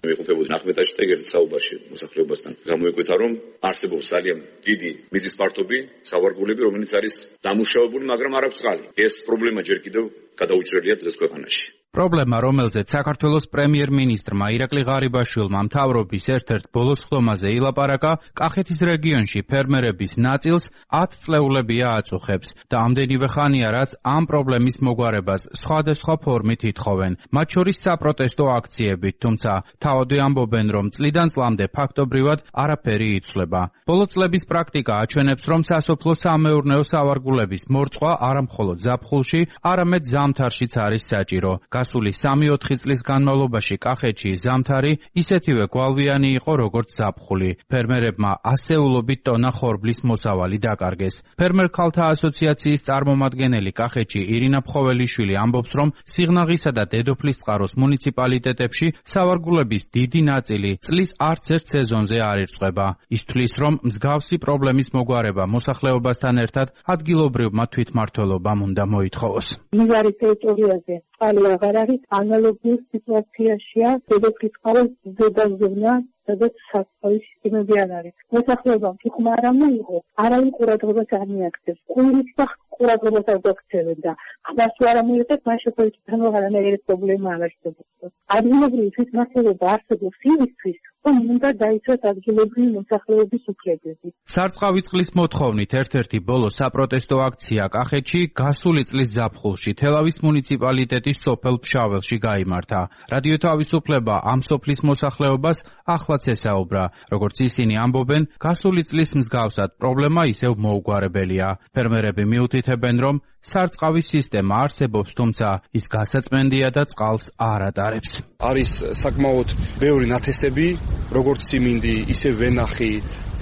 მეყოფებოდი ნახმეტა შტეგერის საუბარში მოსახლეობასთან გამოიკვეთა, რომ არსებობს ძალიან დიდი მიწის პარტობი, სავარგულები, რომელიც არის დამუშავებული, მაგრამ არ აქვს წყალი. ეს პრობლემა ჯერ კიდევ გადაუჭრელია დღეს ქვეყანაში. პრობლემა, რომელზეც საქართველოს პრემიერ-მინისტრმა ირაკლი ღარიბაშვილმა მთავრობის ერთ-ერთ ბოლოს ხდომაზე ილაპარაკა, კახეთის რეგიონში ფერმერების ნაწილს ათ წლეულებია აწუხებს და ამდენივე ხანია, რაც ამ პრობლემის მოგვარებას სხვადასხვა ფორმით ითხოვენ, მათ შორის საპროტესტო აქციებით, თუმცა თავადი ამბობენ, რომ წლიდან წლამდე ფაქტობრივად არაფერი იცვლება. ბოლო წლების პრაქტიკა აჩვენებს, რომ სასოფლო სამეურნეო სავარგულების მორწყვა არა მხოლოდ ზაფხულში, არამედ ზამთარშიც არის საჭირო. გასული სამი-ოთხი წლის განმავლობაში კახეთში ზამთარი ისეთივე გვალვიანი იყო, როგორც ზაფხული. ფერმერებმა ასეულობით ტონა ხორბლის მოსავალი დაკარგეს. ფერმერ ქალთა ასოციაციის წარმომადგენელი კახეთში ირინა ფხოველიშვილი ამბობს, რომ სიღნაღისა და დედოფლისწყაროს მუნიციპალიტეტებში სავარგულების დიდი ნაწილი წლის არც ერთ სეზონზე არ ირწყვება. ის თვლის, რომ მსგავსი პრობლემის მოგვარება მოსახლეობასთან ერთად ადგილობრივმა თვითმმართველობამ უნდა მოითხოვოს. მიღარი ტერიტორიაზე წყალი აღარ არის, ანალოგიურ სიტუაციაშია დედოფლისწყაროს ზედაზღვნა, სადაც სასწავლის სისტემები არ არის. მოსახლეობამ თუ ხმა არ მოიღო, არავინ ყურადღებას არ მიაქცევს. ყურის და ყურადღებას არ გაქცევენ და ხმას თუ არ მოიღეთ, მას შეფოთთან აღარანაირი პრობლემა არ არსებობს. ადგილობრივი თვითმმართველობა არსებობს იმისთვის, რომ უნდა დაიცვას ადგილობრივი მოსახლეობის უფლებები. სარწყავი წყლის მოთხოვნით ერთ-ერთი ბოლო საპროტესტო აქცია კახეთში გასული წლის ზაფხულში თელავის მუნიციპალიტეტის სოფელ ფშაველში გაიმართა. რადიო თავისუფლება ამ სოფლის მოსახლეობას ახლაც ესაუბრა. როგორც ისინი ამბობენ, გასული წლის მსგავსად პრობლემა ისევ მოუგვარებელია. ფერმერები მიუთითებენ, რომ სარწყავის სისტემა არსებობს, თუმცა ის გასაწმენდია და წყალს არ ატარებს. არის საკმაოდ ბევრი ნათესები, როგორც სიმინდი, ისე ვენახი,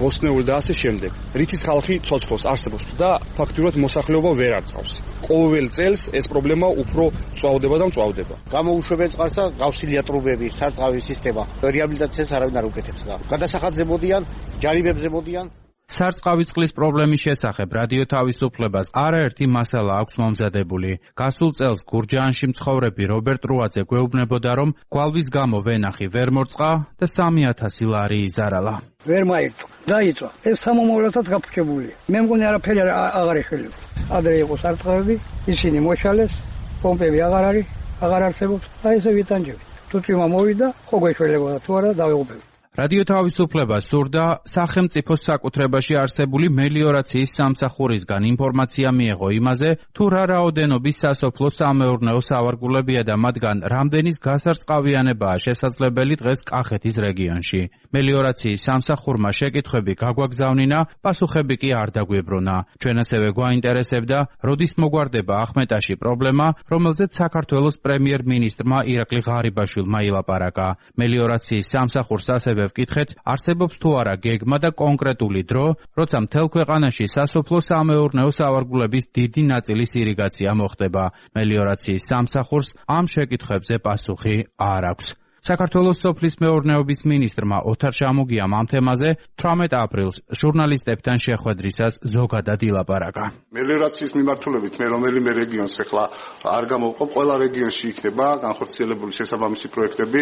ბოსტნეული და ასე შემდეგ. რითიც ხალხი ცოცხლობს არსებობს და ფაქტურად მოსახლეობა ვერ არწყავს. ყოველ წელს ეს პრობლემა უფრო წვავდება და მწვავდება. გამოუშვებენ წყალს და გავსილია ტრუბები, სარწყავი სისტემა. რეაბილიტაციას არავინ არ უკეთებს და გადასახადზე მოდიან, ჯარიმებზე მოდიან. სარწყავი წყლის პრობლემის შესახებ რადიო თავისუფლებას არაერთი მასალა აქვს მომზადებული. გასულ წელს გურჯაანში მცხოვრები რობერტ რუაძე გვეუბნებოდა, რომ გვალვის გამო ვენახი ვერ მორწყა და სამი ათასი ლარი იზარალა. ვერ მაირთო, დაიწვა. ეს სამომავლოდაც გაფრჩებულია. მე მგონი არაფერი აღარ ეხელებს. ადრე იყო სარწყავები, ისინი მოშალეს, პომპები აღარ არის, აღარ არსებობს. აი ესე ვიტანჯებით. თუ წვიმა მოვიდა, ხო გვეშველებოდა თუ არა დავეღუპებდი. რადიო თავისუფლება სურდა სახელმწიფოს საკუთრებაში არსებული მელიორაციის სამსახურისგან ინფორმაცია მიეღო იმაზე, თუ რა რაოდენობის სასოფლო-სამეურნეო სავარგულებია და მათგან რამდენის გასარწყავიანებაა შესაძლებელი დღეს კახეთის რეგიონში. მელიორაციის სამსახურმა შეკითხვები გაგვაგზავნინა, პასუხები კი არ დაგვიბრუნა. ჩვენ ასევე გვაინტერესებდა, როდის მოგვარდება ახმეტაში პრობლემა, რომელზეც საქართველოს პრემიერ-მინისტრმა ირაკლი ღარიბაშვილმა ილაპარაკა. მელიორაციის სამსახურს ასევე ვკითხეთ, არსებობს თუ არა გეგმა და კონკრეტული დრო, როცა მთელ ქვეყანაში სასოფლო-სამეურნეო სავარგულების დიდი ნაწილის ირიგაცია მოხდება. მელიორაციის სამსახურს ამ შეკითხვებზე პასუხი არ აქვს. საქართველოს სოფლის მეურნეობის მინისტრმა ოთარ შამუგიამ ამ თემაზე თვრამეტ აპრილს ჟურნალისტებთან შეხვედრისას ზოგადად ილაპარაკა. მელიორაციის მიმართულებით მე რომელიმე რეგიონს ახლა არ გამოვყობ, ყველა რეგიონში იქნება განხორციელებული შესაბამისი პროექტები,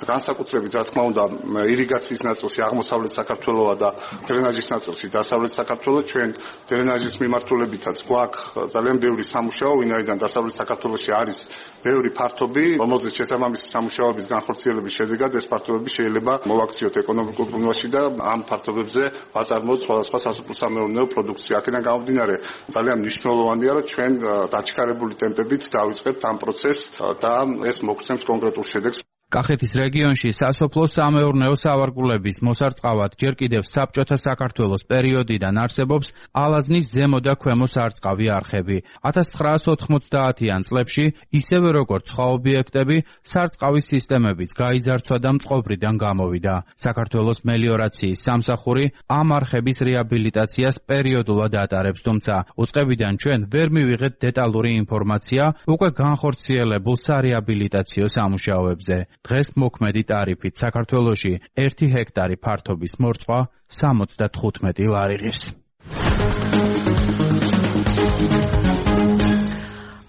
განსაკუთრებით რა თქმა უნდა ირიგაციის ნაწილში აღმოსავლეთ საქართველოს და დრენაჟის ნაწილში დასავლეთ საქართველოს. ჩვენ დრენაჟის მიმართულებითაც გვაქვს ძალიან ბევრი სამუშაო, ვინაიდან დასავლეთ საქართველოში არის ბევრი ფართობი, რომელზეც შესაბამისი სამუშაოების განხორციელება შედეგად ეს ფართობები შეიძლება მოვაქციოთ ეკონომიკურ ბრუნვაში და ამ ფართობებზე ვაწარმოოთ სხვადასხვა სასოფლო-სამეურნეო პროდუქცია. აქედან გამომდინარე ძალიან მნიშვნელოვანია, რომ ჩვენ დაჩქარებული ტემპებით დავიწყებთ ამ პროცესს და ეს მოგცემს კონკრეტულ შედეგს. კახეთის რეგიონში სასოფლო-სამეურნეო სავარგულების მოსარწყავად ჯერ კიდევ საბჭოთა საქართველოს პერიოდიდან არსებობს ალაზნის ზემო და ქვემო სარწყავი არხები. ათას ცხრაასი ოთხმოცდაათიან წლებში ისევე როგორც სხვა ობიექტები, სარწყავის სისტემებიც გაიძარცვა და მწყობრიდან გამოვიდა. საქართველოს მელიორაციის სამსახური ამ არხების რეაბილიტაციას პერიოდულად ატარებს, თუმცა უწყებიდან ჩვენ ვერ მივიღეთ დეტალური ინფორმაცია უკვე განხორციელებულ სარეაბილიტაციო სამუშაოებზე. დღეს მოქმედი ტარიფით საქართველოში ერთი ჰექტარი ფართობის მორწყვა სამოცდათხუთმეტი ლარი ღირს.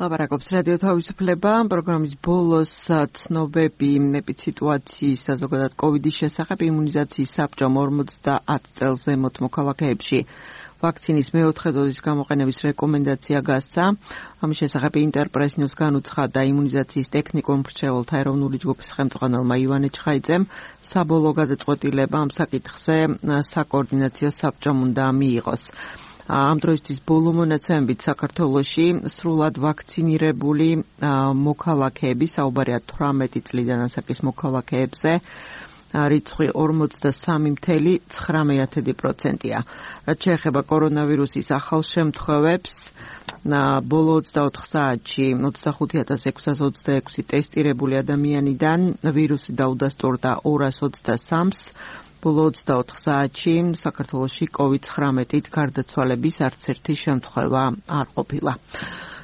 ლაპარაკობს რადიო თავისუფლება, პროგრამის ბოლოს ცნობები ეპიდემიის და ზოგადად კოვიდის შესახებ იმუნიზაციის საბჭომ ორმოცდაათ წელს ზემოთ მოქალაქეებში ვაქცინის მეოთხე დოზის გამოყენების რეკომენდაცია გასცა. ამის შესახებ ინტერპრეს ნიუს განუცხადა იმუნიზაციის ტექნიკურ მრჩეველთა ეროვნული ჯგუფის ხელმძღვანელმა ივანე ჩხაიძემ. საბოლოო გადაწყვეტილება ამ საკითხზე საკოორდინაციო საბჭომ უნდა მიიღოს. ამ დროისთვის ბოლო მონაცემებით საქართველოში სრულად ვაქცინირებული მოქალაქეები, საუბარია თვრამეტი წლიდან ასაკის მოქალაქეებზე, რიცხვი ორმოცდასამი წუთი ცხრამეტი პროცენტია. რაც შეეხება კორონავირუსის ახალ შემთხვევებს, ბოლო ოცდაოთხ საათში ოცდახუთი ათას ექვსას ოცდაექვსი ტესტირებული ადამიანიდან ვირუსი დაუდასტურდა ორას ოცდასამს. ბოლო ოცდაოთხ საათში საქართველოში კოვიდ ცხრამეტით გარდაცვალების არც ერთი შემთხვევა არ ყოფილა.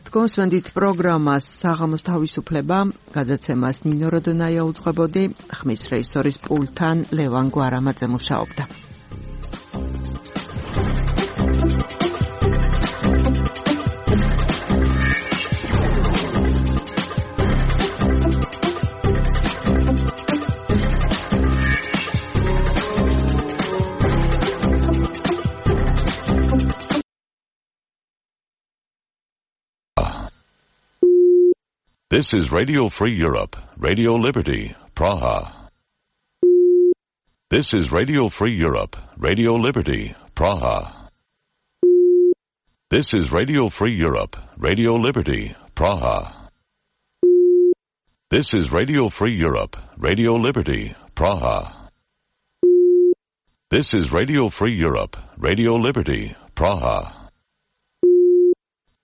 Თქვენს პროგრამას საღამოს თავისუფლება გადაცემას ნინო როდონაია უძღვებოდი, ხმის რეჟისორის პულტთან ლევან გვარამაძე მუშაობდა. This is Radio Free Europe, Radio Liberty, Praha. This is Radio Free Europe, Radio Liberty, Praha. This is Radio Free Europe, Radio Liberty, Praha. This is Radio Free Europe, Radio Liberty, Praha. This is Radio Free Europe, Radio Liberty, Praha.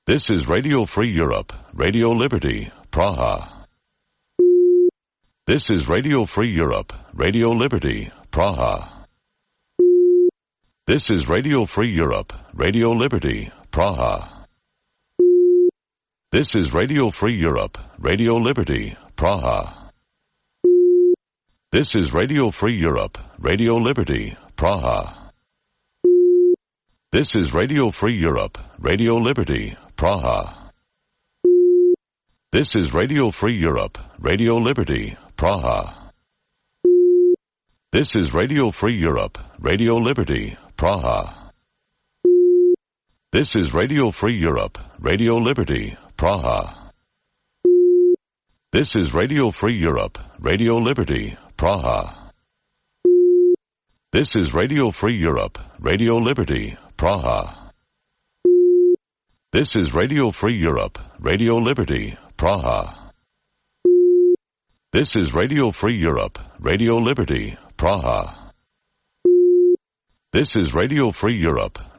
This is Radio Free Europe, Radio Liberty, Praha. This is Radio Free Europe, Radio Liberty, Praha. This is Radio Free Europe, Radio Liberty, Praha. This is Radio Free Europe, Radio Liberty, Praha. This is Radio Free Europe, Radio Liberty, Praha. This is Radio Free Europe, Radio Liberty, Praha. This is Radio Free Europe, Radio Liberty, Praha. This is Radio Free Europe, Radio Liberty, Praha. This is Radio Free Europe, Radio Liberty, Praha. This is Radio Free Europe, Radio Liberty, Praha. This is Radio Free Europe, Radio Liberty, Praha. This is Radio Free Europe, Radio Liberty, Praha. This is Radio Free Europe, Radio Liberty, Praha. This is Radio Free Europe,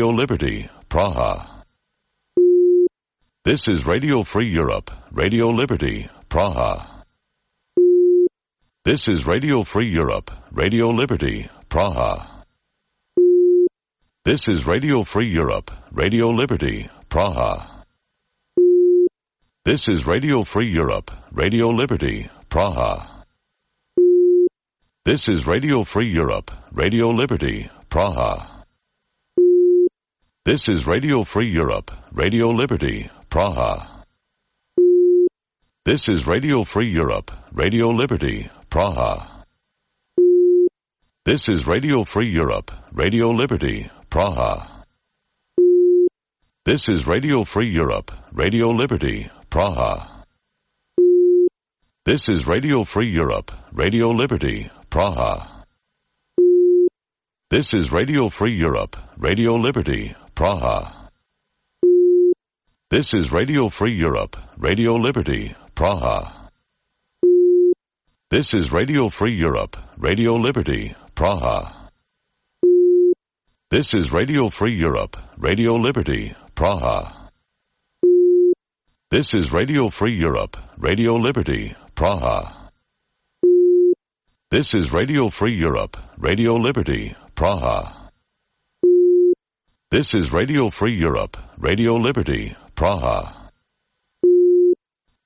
Radio Liberty, Praha. This is Radio Free Europe, Radio Liberty, Praha. This is Radio Free Europe, Radio Liberty, Praha. This is Radio Free Europe, Radio Liberty, Praha. This is Radio Free Europe, Radio Liberty, Praha. This is Radio Free Europe, Radio Liberty, Praha. This is Radio Free Europe, Radio Liberty, Praha. This is Radio Free Europe, Radio Liberty, Praha. This is Radio Free Europe, Radio Liberty, Praha. This is Radio Free Europe, Radio Liberty, Praha. This is Radio Free Europe, Radio Liberty, Praha. This is Radio Free Europe, Radio Liberty, Praha. This is Radio Free Europe, Radio Liberty, Praha. This is Radio Free Europe, Radio Liberty, Praha. This is Radio Free Europe, Radio Liberty, Praha. This is Radio Free Europe, Radio Liberty, Praha. This is Radio Free Europe, Radio Liberty, Praha. This is Radio Free Europe, Radio Liberty, Praha. This is Radio Free Europe, Radio Liberty, Praha.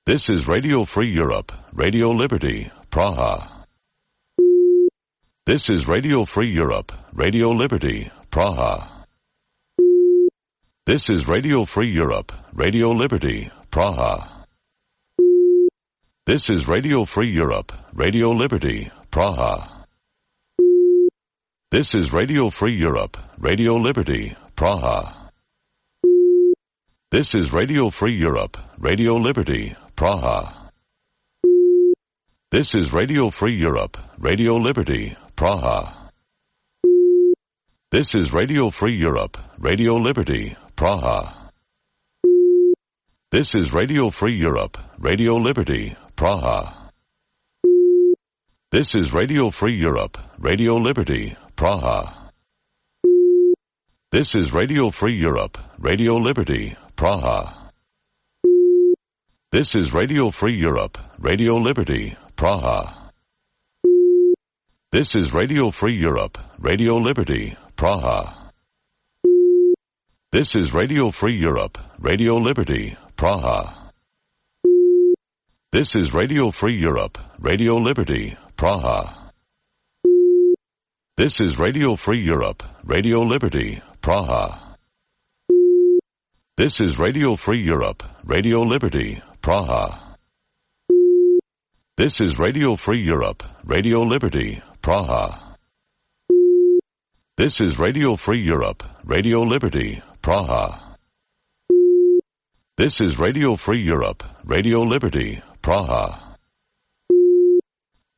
This is Radio Free Europe, Radio Liberty, Praha. This is Radio Free Europe, Radio Liberty, Praha. This is Radio Free Europe, Radio Liberty, Praha. This is Radio Free Europe, Radio Liberty, Praha. This is Radio Free Europe, Radio Liberty, Praha. This is Radio Free Europe, Radio Liberty, Praha. This is Radio Free Europe, Radio Liberty, Praha. This is Radio Free Europe, Radio Liberty, Praha. This is Radio Free Europe, Radio Liberty, Praha. This is Radio Free Europe, Radio Liberty, Praha. This is Radio Free Europe, Radio Liberty, Praha. This is Radio Free Europe, Radio Liberty, Praha. This is Radio Free Europe, Radio Liberty, Praha. This is Radio Free Europe, Radio Liberty, Praha. This is Radio Free Europe, Radio Liberty, Praha. This is Radio Free Europe, Radio Liberty, Praha. This is Radio Free Europe, Radio Liberty, Praha. This is Radio Free Europe, Radio Liberty, Praha. This is Radio Free Europe, Radio Liberty, Praha. This is Radio Free Europe, Radio Liberty, Praha.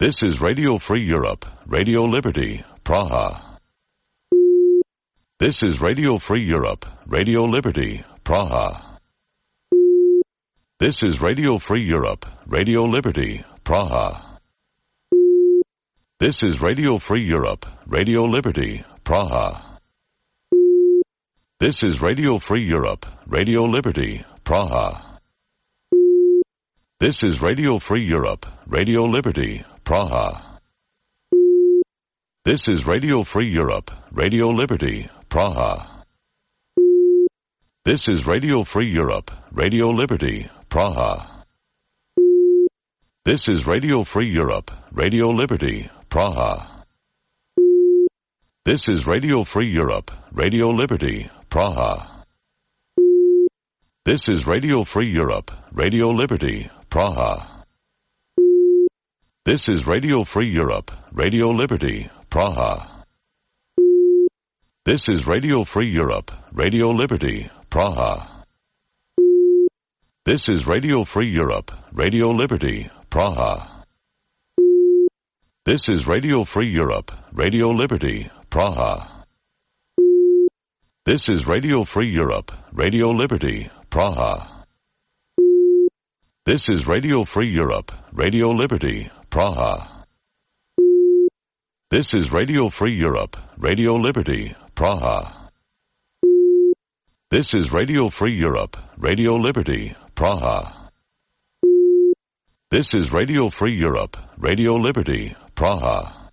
This is Radio Free Europe, Radio Liberty, Praha. This is Radio Free Europe, Radio Liberty, Praha. This is Radio Free Europe, Radio Liberty, Praha. This is Radio Free Europe, Radio Liberty, Praha. This is Radio Free Europe, Radio Liberty, Praha. This is Radio Free Europe, Radio Liberty, Praha. This is Radio Free Europe, Radio Liberty, Praha. This is Radio Free Europe, Radio Liberty, Praha. This is Radio Free Europe, Radio Liberty, Praha. This is Radio Free Europe, Radio Liberty, Praha. This is Radio Free Europe, Radio Liberty, Praha. This is Radio Free Europe, Radio Liberty, Praha. This is Radio Free Europe, Radio Liberty, Praha. This is Radio Free Europe, Radio Liberty, Praha. This is Radio Free Europe, Radio Liberty, Praha. This is Radio Free Europe, Radio Liberty, Praha. This is Radio Free Europe, Radio Liberty, Praha. This is Radio Free Europe, Radio Liberty, Praha. This is Radio Free Europe, Radio Liberty, Praha. This is Radio Free Europe, Radio Liberty, Praha.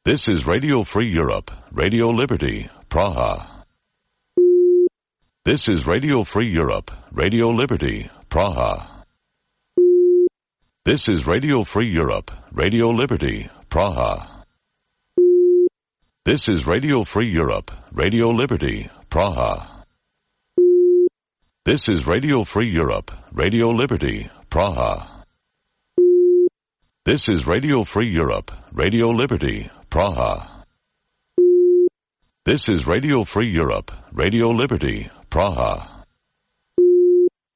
This is Radio Free Europe, Radio Liberty, Praha. This is Radio Free Europe, Radio Liberty, Praha. This is Radio Free Europe, Radio Liberty, Praha. This is Radio Free Europe, Radio Liberty, Praha. This is Radio Free Europe, Radio Liberty, Praha. This is Radio Free Europe, Radio Liberty, Praha. This is Radio Free Europe, Radio Liberty, Praha.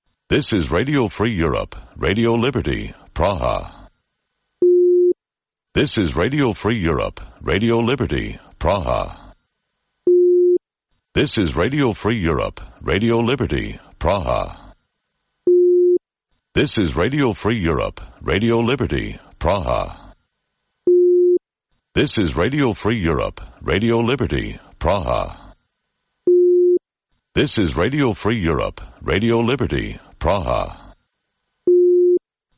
This is Radio Free Europe, Radio Liberty, Praha. This is Radio Free Europe, Radio Liberty, Praha. This is Radio Free Europe, Radio Liberty, Praha. This is Radio Free Europe, Radio Liberty, Praha. This is Radio Free Europe, Radio Liberty, Praha. This is Radio Free Europe, Radio Liberty, Praha.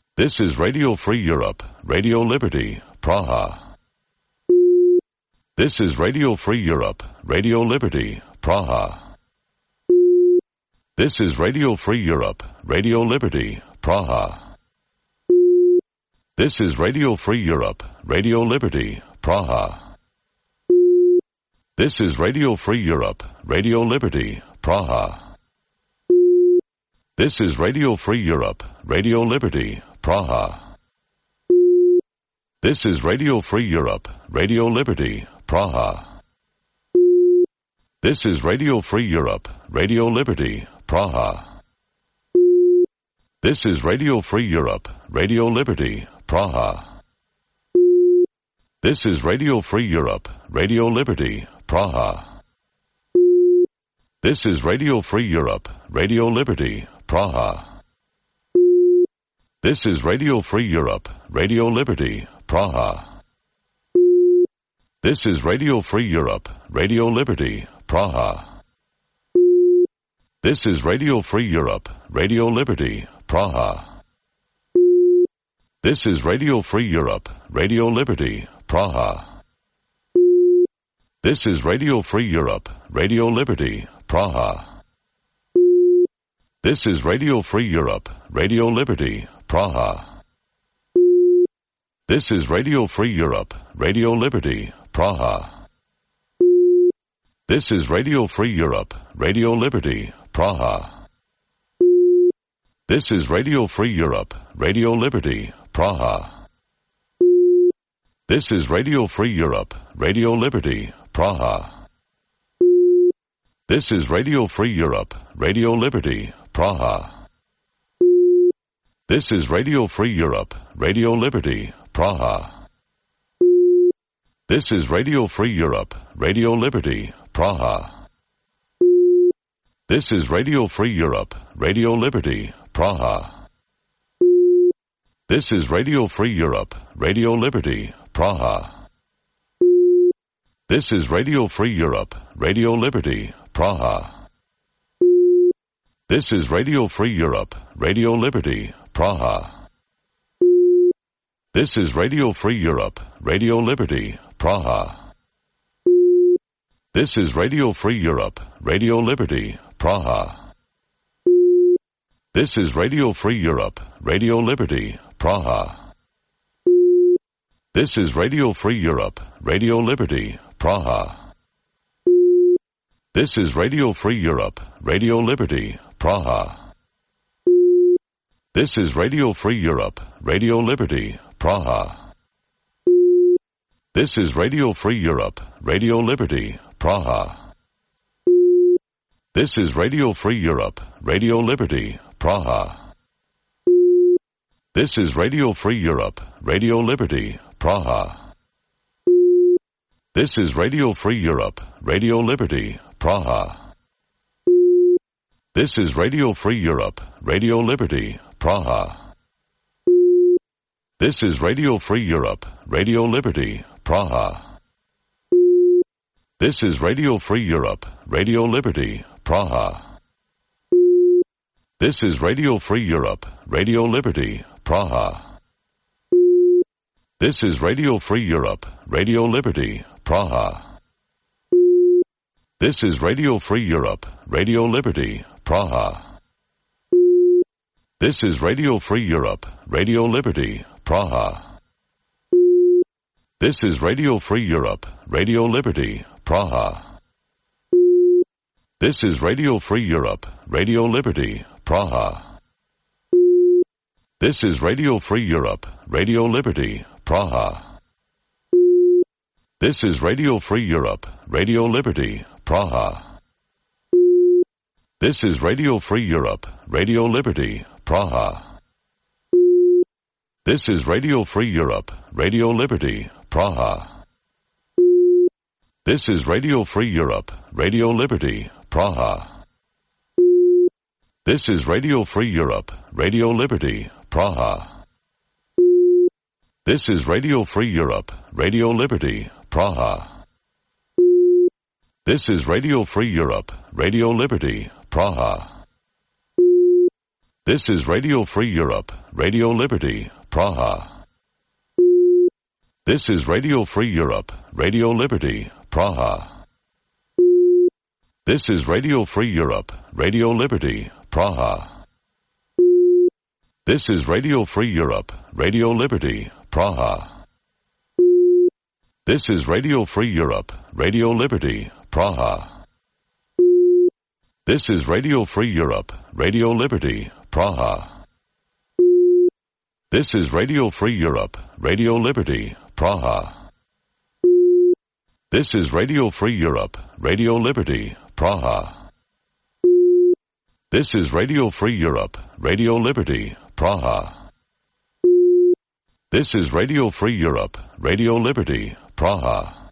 This is Radio Free Europe, Radio Liberty, Praha. This is Radio Free Europe, Radio Liberty, Praha. This is Radio Free Europe, Radio Liberty, Praha. This is Radio Free Europe, Radio Liberty, Praha. This is Radio Free Europe, Radio Liberty, Praha. This is Radio Free Europe, Radio Liberty, Praha. This is Radio Free Europe, Radio Liberty, Praha. This is Radio Free Europe, Radio Liberty, Praha. This is Radio Free Europe, Radio Liberty, Praha. This is Radio Free Europe, Radio Liberty, Praha. This is Radio Free Europe, Radio Liberty, Praha. This is Radio Free Europe, Radio Liberty, Praha. This is Radio Free Europe, Radio Liberty, Praha. This is Radio Free Europe, Radio Liberty, Praha. This is Radio Free Europe, Radio Liberty, Praha. This is Radio Free Europe, Radio Liberty, Praha. This is Radio Free Europe, Radio Liberty, Praha. This is Radio Free Europe, Radio Liberty, Praha. This is Radio Free Europe, Radio Liberty, Praha. This is Radio Free Europe, Radio Liberty, Praha. This is Radio Free Europe, Radio Liberty, Praha. This is Radio Free Europe, Radio Liberty, Praha. This is Radio Free Europe, Radio Liberty, Praha. This is Radio Free Europe, Radio Liberty, Praha. This is Radio Free Europe, Radio Liberty, Praha. This is Radio Free Europe, Radio Liberty, Praha. This is Radio Free Europe, Radio Liberty, Praha. This is Radio Free Europe, Radio Liberty, Praha. This is Radio Free Europe, Radio Liberty, Praha. This is Radio Free Europe, Radio Liberty, Praha. This is Radio Free Europe, Radio Liberty, Praha. This is Radio Free Europe, Radio Liberty, Praha. This is Radio Free Europe, Radio Liberty, Praha. This is Radio Free Europe, Radio Liberty, Praha. This is Radio Free Europe, Radio Liberty, Praha. This is Radio Free Europe, Radio Liberty, Praha. This is Radio Free Europe, Radio Liberty, Praha. This is Radio Free Europe, Radio Liberty, Praha. This is Radio Free Europe, Radio Liberty, Praha. This is Radio Free Europe, Radio Liberty, Praha. This is Radio Free Europe, Radio Liberty, Praha. This is Radio Free Europe, Radio Liberty, Praha. This is Radio Free Europe, Radio Liberty, Praha. This is Radio Free Europe, Radio Liberty, Praha. This is Radio Free Europe, Radio Liberty, Praha. This is Radio Free Europe, Radio Liberty, Praha. This is Radio Free Europe, Radio Liberty, Praha. This is Radio Free Europe, Radio Liberty, Praha. This is Radio Free Europe, Radio Liberty, Praha. This is Radio Free Europe, Radio Liberty, Praha. This is Radio Free Europe, Radio Liberty, Praha. This is Radio Free Europe, Radio Liberty, Praha. This is Radio Free Europe, Radio Liberty, Praha. This is Radio Free Europe, Radio Liberty, Praha. This is Radio Free Europe, Radio Liberty, Praha. This is Radio Free Europe, Radio Liberty, Praha. This is Radio Free Europe, Radio Liberty, Praha. This is Radio Free Europe, Radio Liberty, Praha. This is Radio Free Europe, Radio Liberty, Praha. This is Radio Free Europe, Radio Liberty, Praha. This is Radio Free Europe, Radio Liberty, Praha. This is Radio Free Europe, Radio Liberty, Praha. This is Radio Free Europe, Radio Liberty, Praha. This is Radio Free Europe, Radio Liberty, Praha. This is Radio Free Europe, Radio Liberty, Praha.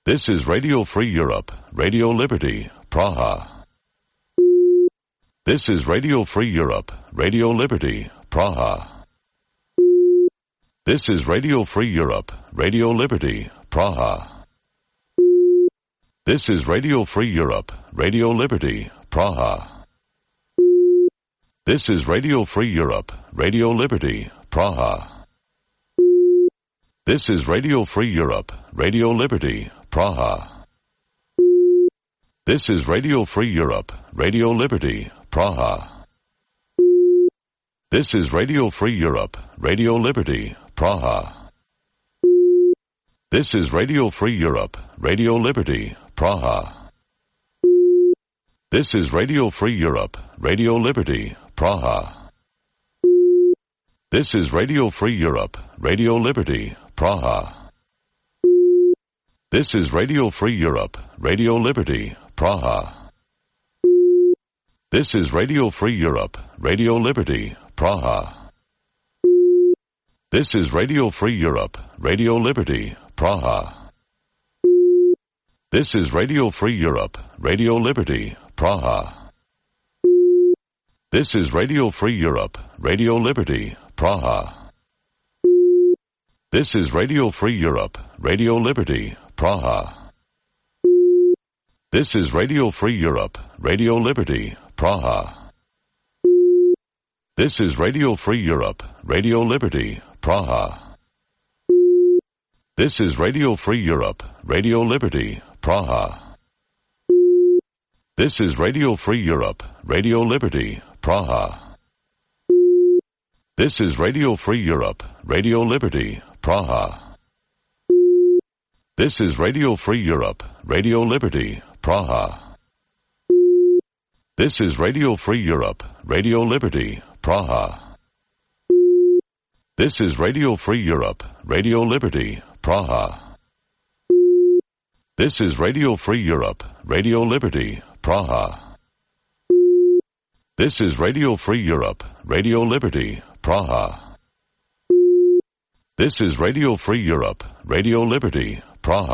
This is Radio Free Europe, Radio Liberty, Praha. This is Radio Free Europe, Radio Liberty, Praha. This is Radio Free Europe, Radio Liberty, Praha. This is Radio Free Europe, Radio Liberty, Praha. This is Radio Free Europe, Radio Liberty, Praha. This is Radio Free Europe, Radio Liberty, Praha. This is Radio Free Europe, Radio Liberty, Praha. This is Radio Free Europe, Radio Liberty, Praha. This is Radio Free Europe, Radio Liberty, Praha. This is Radio Free Europe, Radio Liberty, Praha. This is Radio Free Europe, Radio Liberty, Praha. This is Radio Free Europe, Radio Liberty, Praha. This is Radio Free Europe, Radio Liberty, Praha. This is Radio Free Europe, Radio Liberty, Praha. This is Radio Free Europe, Radio Liberty, Praha. This is Radio Free Europe, Radio Liberty, Praha. This is Radio Free Europe, Radio Liberty, Praha. This is Radio Free Europe, Radio Liberty, Praha. This is Radio Free Europe, Radio Liberty, Praha. This is Radio Free Europe, Radio Liberty, Praha. This is Radio Free Europe, Radio Liberty, Praha. This is Radio Free Europe, Radio Liberty, Praha. This is Radio Free Europe, Radio Liberty, Praha. This is Radio Free Europe, Radio Liberty, Praha. This is Radio Free Europe, Radio Liberty, Praha. This is Radio Free Europe, Radio Liberty, Praha. This is Radio Free Europe, Radio Liberty, Praha. This is Radio Free Europe, Radio Liberty, Praha.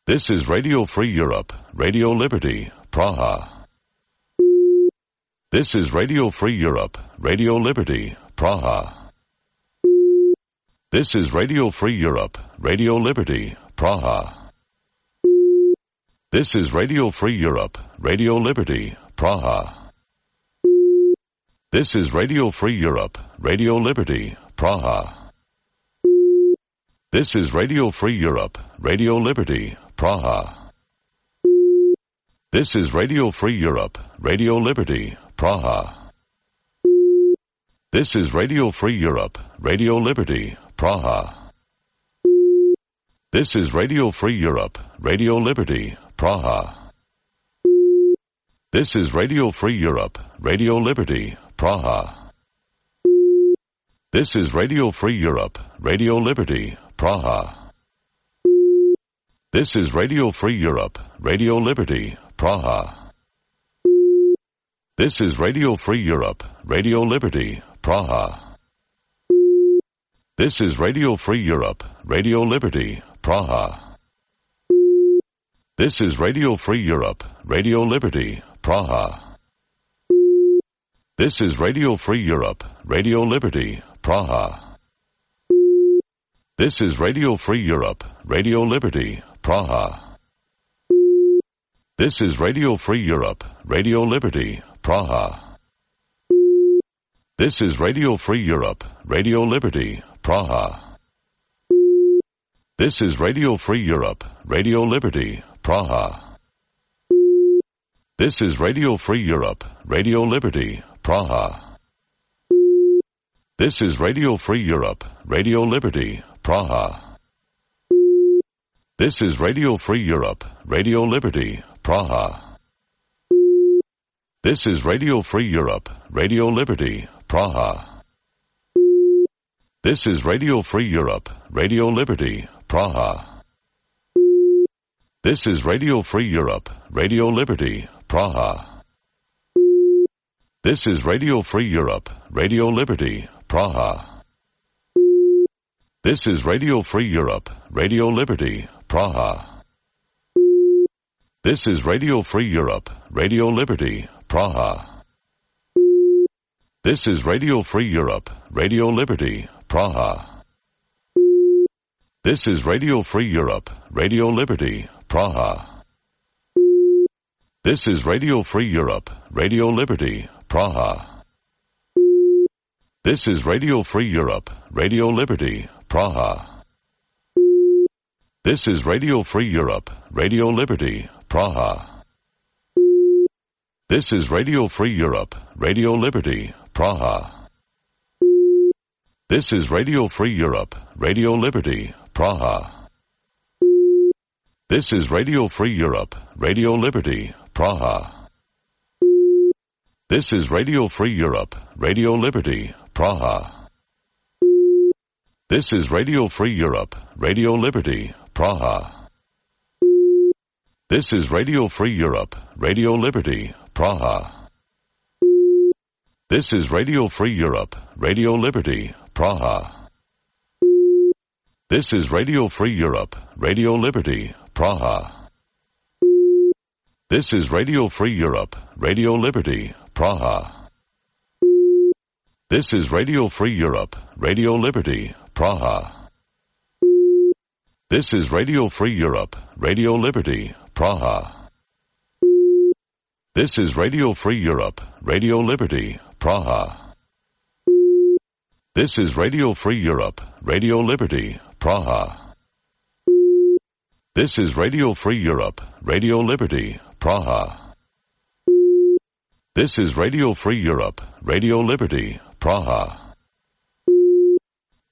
This is Radio Free Europe, Radio Liberty, Praha. This is Radio Free Europe, Radio Liberty, Praha. This is Radio Free Europe, Radio Liberty, Praha. This is Radio Free Europe, Radio Liberty, Praha. This is Radio Free Europe, Radio Liberty, Praha. This is Radio Free Europe, Radio Liberty, Praha. This is Radio Free Europe, Radio Liberty, Praha. This is Radio Free Europe, Radio Liberty, Praha. This is Radio Free Europe, Radio Liberty, Praha. This is Radio Free Europe, Radio Liberty, Praha. This is Radio Free Europe, Radio Liberty, Praha. This is Radio Free Europe, Radio Liberty, Praha. This is Radio Free Europe, Radio Liberty, Praha. This is Radio Free Europe, Radio Liberty, Praha. This is Radio Free Europe, Radio Liberty, Praha. This is Radio Free Europe, Radio Liberty, Praha. This is Radio Free Europe, Radio Liberty, Praha. This is Radio Free Europe, Radio Liberty, Praha. This is Radio Free Europe, Radio Liberty, Praha. This is Radio Free Europe, Radio Liberty, Praha. This is Radio Free Europe, Radio Liberty, Praha. This is Radio Free Europe, Radio Liberty, Praha. This is Radio Free Europe, Radio Liberty, Praha. This is Radio Free Europe, Radio Liberty, Praha. This is Radio Free Europe, Radio Liberty, Praha. This is Radio Free Europe, Radio Liberty, Praha. This is Radio Free Europe, Radio Liberty, Praha. This is Radio Free Europe, Radio Liberty, Praha. This is Radio Free Europe, Radio Liberty, Praha. This is Radio Free Europe, Radio Liberty, Praha. This is Radio Free Europe, Radio Liberty, Praha. This is Radio Free Europe, Radio Liberty, Praha. This is Radio Free Europe, Radio Liberty, Praha. This is Radio Free Europe, Radio Liberty, Praha. This is Radio Free Europe, Radio Liberty, Praha. This is Radio Free Europe, Radio Liberty, Praha. This is Radio Free Europe, Radio Liberty, Praha. This is Radio Free Europe, Radio Liberty, Praha. This is Radio Free Europe, Radio Liberty, Praha. This is Radio Free Europe, Radio Liberty, Praha. This is Radio Free Europe, Radio Liberty, Praha. This is Radio Free Europe, Radio Liberty, Praha. This is Radio Free Europe, Radio Liberty, Praha. This is Radio Free Europe, Radio Liberty, Praha. This is Radio Free Europe, Radio Liberty, Praha. This is Radio Free Europe, Radio Liberty, Praha. This is Radio Free Europe, Radio Liberty, Praha. This is Radio Free Europe, Radio Liberty, Praha. This is Radio Free Europe, Radio Liberty, Praha.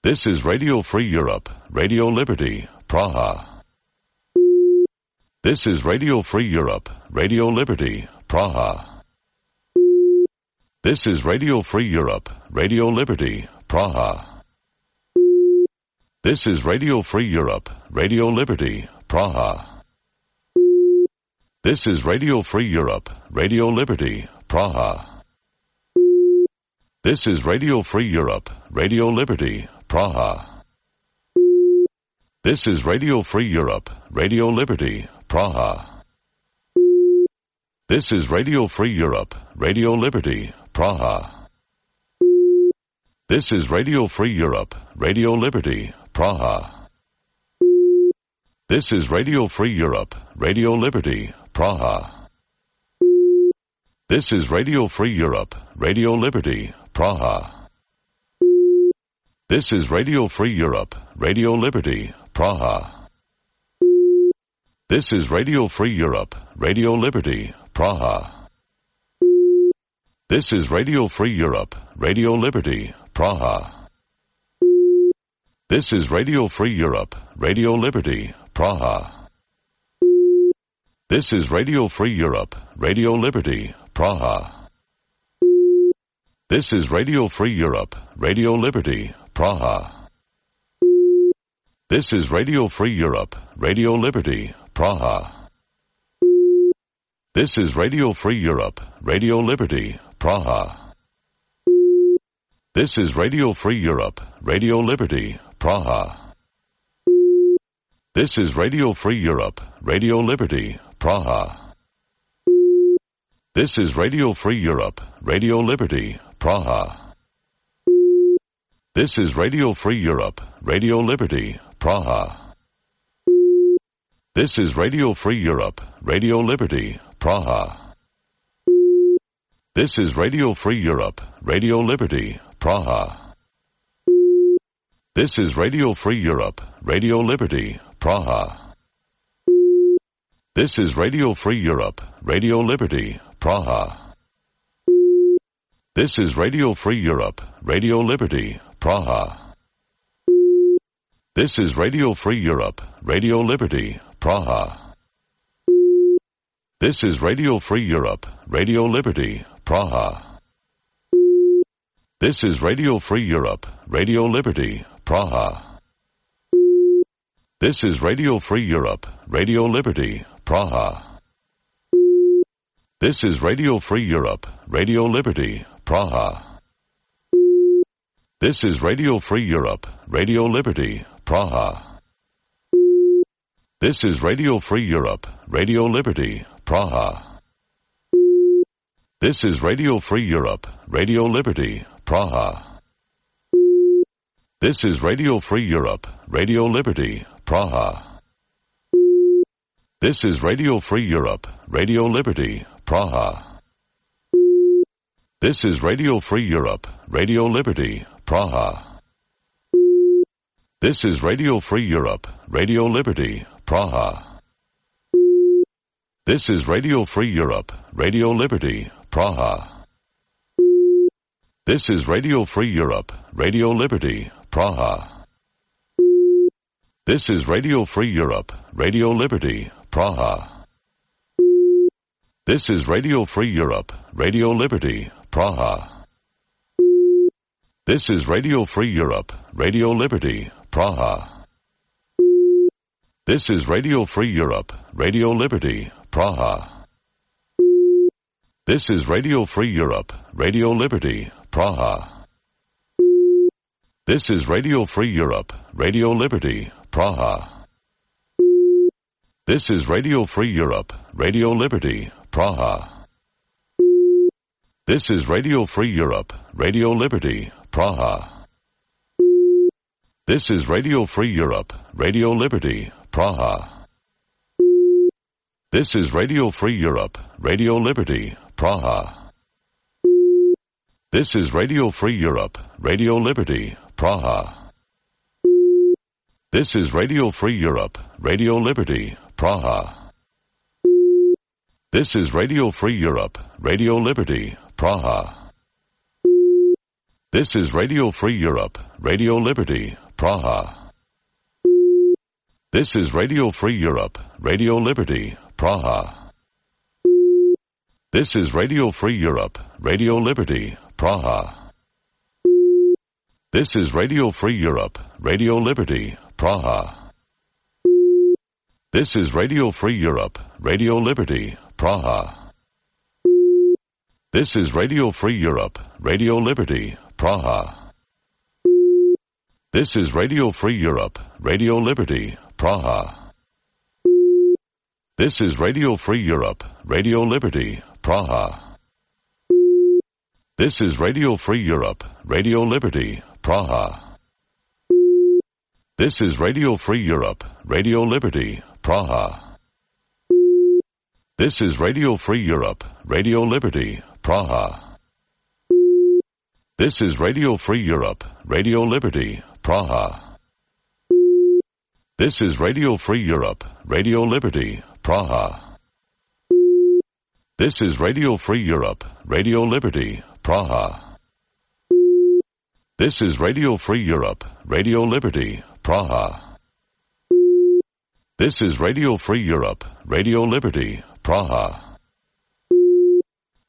This is Radio Free Europe, Radio Liberty, Praha. This is Radio Free Europe, Radio Liberty, Praha. This is Radio Free Europe, Radio Liberty, Praha. This is Radio Free Europe, Radio Liberty, Praha. This is Radio Free Europe, Radio Liberty, Praha. This is Radio Free Europe, Radio Liberty, Praha. This is Radio Free Europe, Radio Liberty, Praha. This is Radio Free Europe, Radio Liberty, Praha. This is Radio Free Europe, Radio Liberty, Praha. This is Radio Free Europe, Radio Liberty, Praha. This is Radio Free Europe, Radio Liberty, Praha. This is Radio Free Europe, Radio Liberty, Praha. This is Radio Free Europe, Radio Liberty, Praha. This is Radio Free Europe, Radio Liberty, Praha. This is Radio Free Europe, Radio Liberty, Praha. This is Radio Free Europe, Radio Liberty, Praha. This is Radio Free Europe, Radio Liberty, Praha. This is Radio Free Europe, Radio Liberty, Praha. This is Radio Free Europe, Radio Liberty, Praha. This is Radio Free Europe, Radio Liberty, Praha. This is Radio Free Europe, Radio Liberty, Praha. This is Radio Free Europe, Radio Liberty, Praha. This is Radio Free Europe, Radio Liberty, Praha. This is Radio Free Europe, Radio Liberty, Praha. This is Radio Free Europe, Radio Liberty, Praha. This is Radio Free Europe, Radio Liberty, Praha. This is Radio Free Europe, Radio Liberty, Praha. This is Radio Free Europe, Radio Liberty, Praha. This is Radio Free Europe, Radio Liberty, Praha. This is Radio Free Europe, Radio Liberty, Praha. This is Radio Free Europe, Radio Liberty, Praha. This is Radio Free Europe, Radio Liberty, Praha. This is Radio Free Europe, Radio Liberty, Praha. This is Radio Free Europe, Radio Liberty, Praha. This is Radio Free Europe, Radio Liberty, Praha. This is Radio Free Europe, Radio Liberty, Praha. This is Radio Free Europe, Radio Liberty, Praha. This is Radio Free Europe, Radio Liberty, Praha. This is Radio Free Europe, Radio Liberty, Praha. This is Radio Free Europe, Radio Liberty, Praha. This is Radio Free Europe, Radio Liberty, Praha. This is Radio Free Europe, Radio Liberty, Praha. This is Radio Free Europe, Radio Liberty, Praha. This is Radio Free Europe, Radio Liberty, Praha. This is Radio Free Europe, Radio Liberty, Praha. This is Radio Free Europe, Radio Liberty, Praha. This is Radio Free Europe, Radio Liberty, Praha. This is Radio Free Europe, Radio Liberty, Praha. This is Radio Free Europe, Radio Liberty, Praha. This is Radio Free Europe, Radio Liberty, Praha. This is Radio Free Europe, Radio Liberty, Praha. This is Radio Free Europe, Radio Liberty, Praha. This is Radio Free Europe, Radio Liberty, Praha. This is Radio Free Europe, Radio Liberty, Praha. This is Radio Free Europe, Radio Liberty, Praha. This is Radio Free Europe, Radio Liberty, Praha. This is Radio Free Europe, Radio Liberty, Praha. This is Radio Free Europe, Radio Liberty, Praha. This is Radio Free Europe, Radio Liberty, Praha. This is Radio Free Europe, Radio Liberty, Praha. This is Radio Free Europe, Radio Liberty, Praha. This is Radio Free Europe, Radio Liberty, Praha. This is Radio Free Europe, Radio Liberty, Praha. This is Radio Free Europe, Radio Liberty, Praha. This is Radio Free Europe, Radio Liberty, Praha. This is Radio Free Europe, Radio Liberty, Praha. This is Radio Free Europe, Radio Liberty, Praha. This is Radio Free Europe, Radio Liberty, Praha. This is Radio Free Europe, Radio Liberty, Praha. This is Radio Free Europe, Radio Liberty, Praha. This is Radio Free Europe, Radio Liberty, Praha.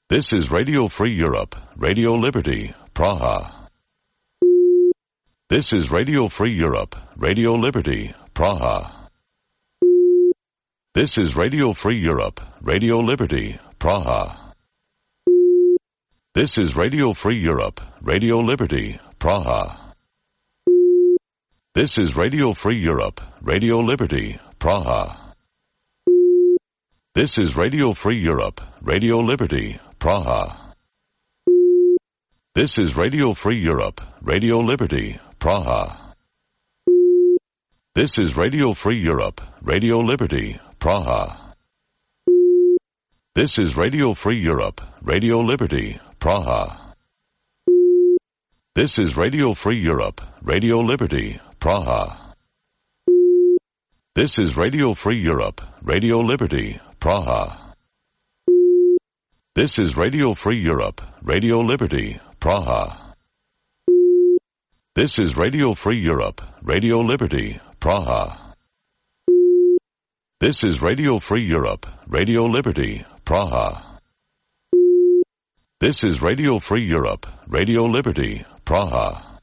This is Radio Free Europe, Radio Liberty, Praha. This is Radio Free Europe, Radio Liberty, Praha. This is Radio Free Europe, Radio Liberty, Praha. This is Radio Free Europe, Radio Liberty, Praha. This is Radio Free Europe, Radio Liberty, Praha. This is Radio Free Europe, Radio Liberty, Praha. This is Radio Free Europe, Radio Liberty, Praha. This is Radio Free Europe, Radio Liberty, Praha. This is Radio Free Europe, Radio Liberty, Praha. This is Radio Free Europe, Radio Liberty, Praha. This is Radio Free Europe, Radio Liberty, Praha. This is Radio Free Europe, Radio Liberty, Praha. This is Radio Free Europe, Radio Liberty, Praha. This is Radio Free Europe, Radio Liberty, Praha. This is Radio Free Europe, Radio Liberty, Praha.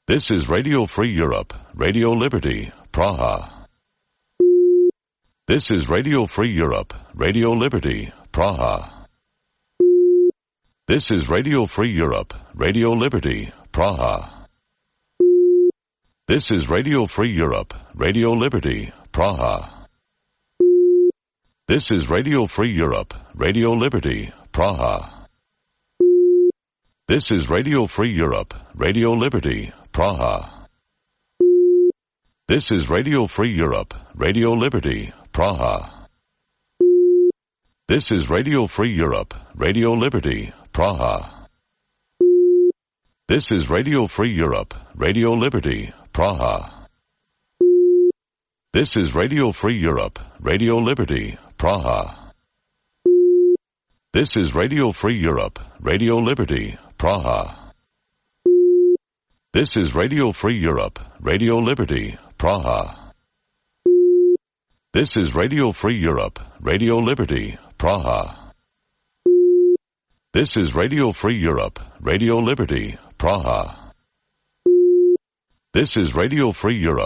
This is Radio Free Europe, Radio Liberty, Praha. This is Radio Free Europe, Radio Liberty, Praha. This is Radio Free Europe, Radio Liberty, Praha. This is Radio Free Europe, Radio Liberty, Praha. This is Radio Free Europe, Radio Liberty, Praha. This is Radio Free Europe, Radio Liberty, Praha. This is Radio Free Europe, Radio Liberty, Praha. This is Radio Free Europe, Radio Liberty, Praha. This is Radio Free Europe, Radio Liberty, Praha. This is Radio Free Europe, Radio Liberty, Praha. This is Radio Free Europe, Radio Liberty, Praha. This is Radio Free Europe, Radio Liberty, Praha. This is Radio Free Europe, Radio Liberty, Praha. This is Radio Free Europe, Radio Liberty, Praha. This is Radio Free Europe,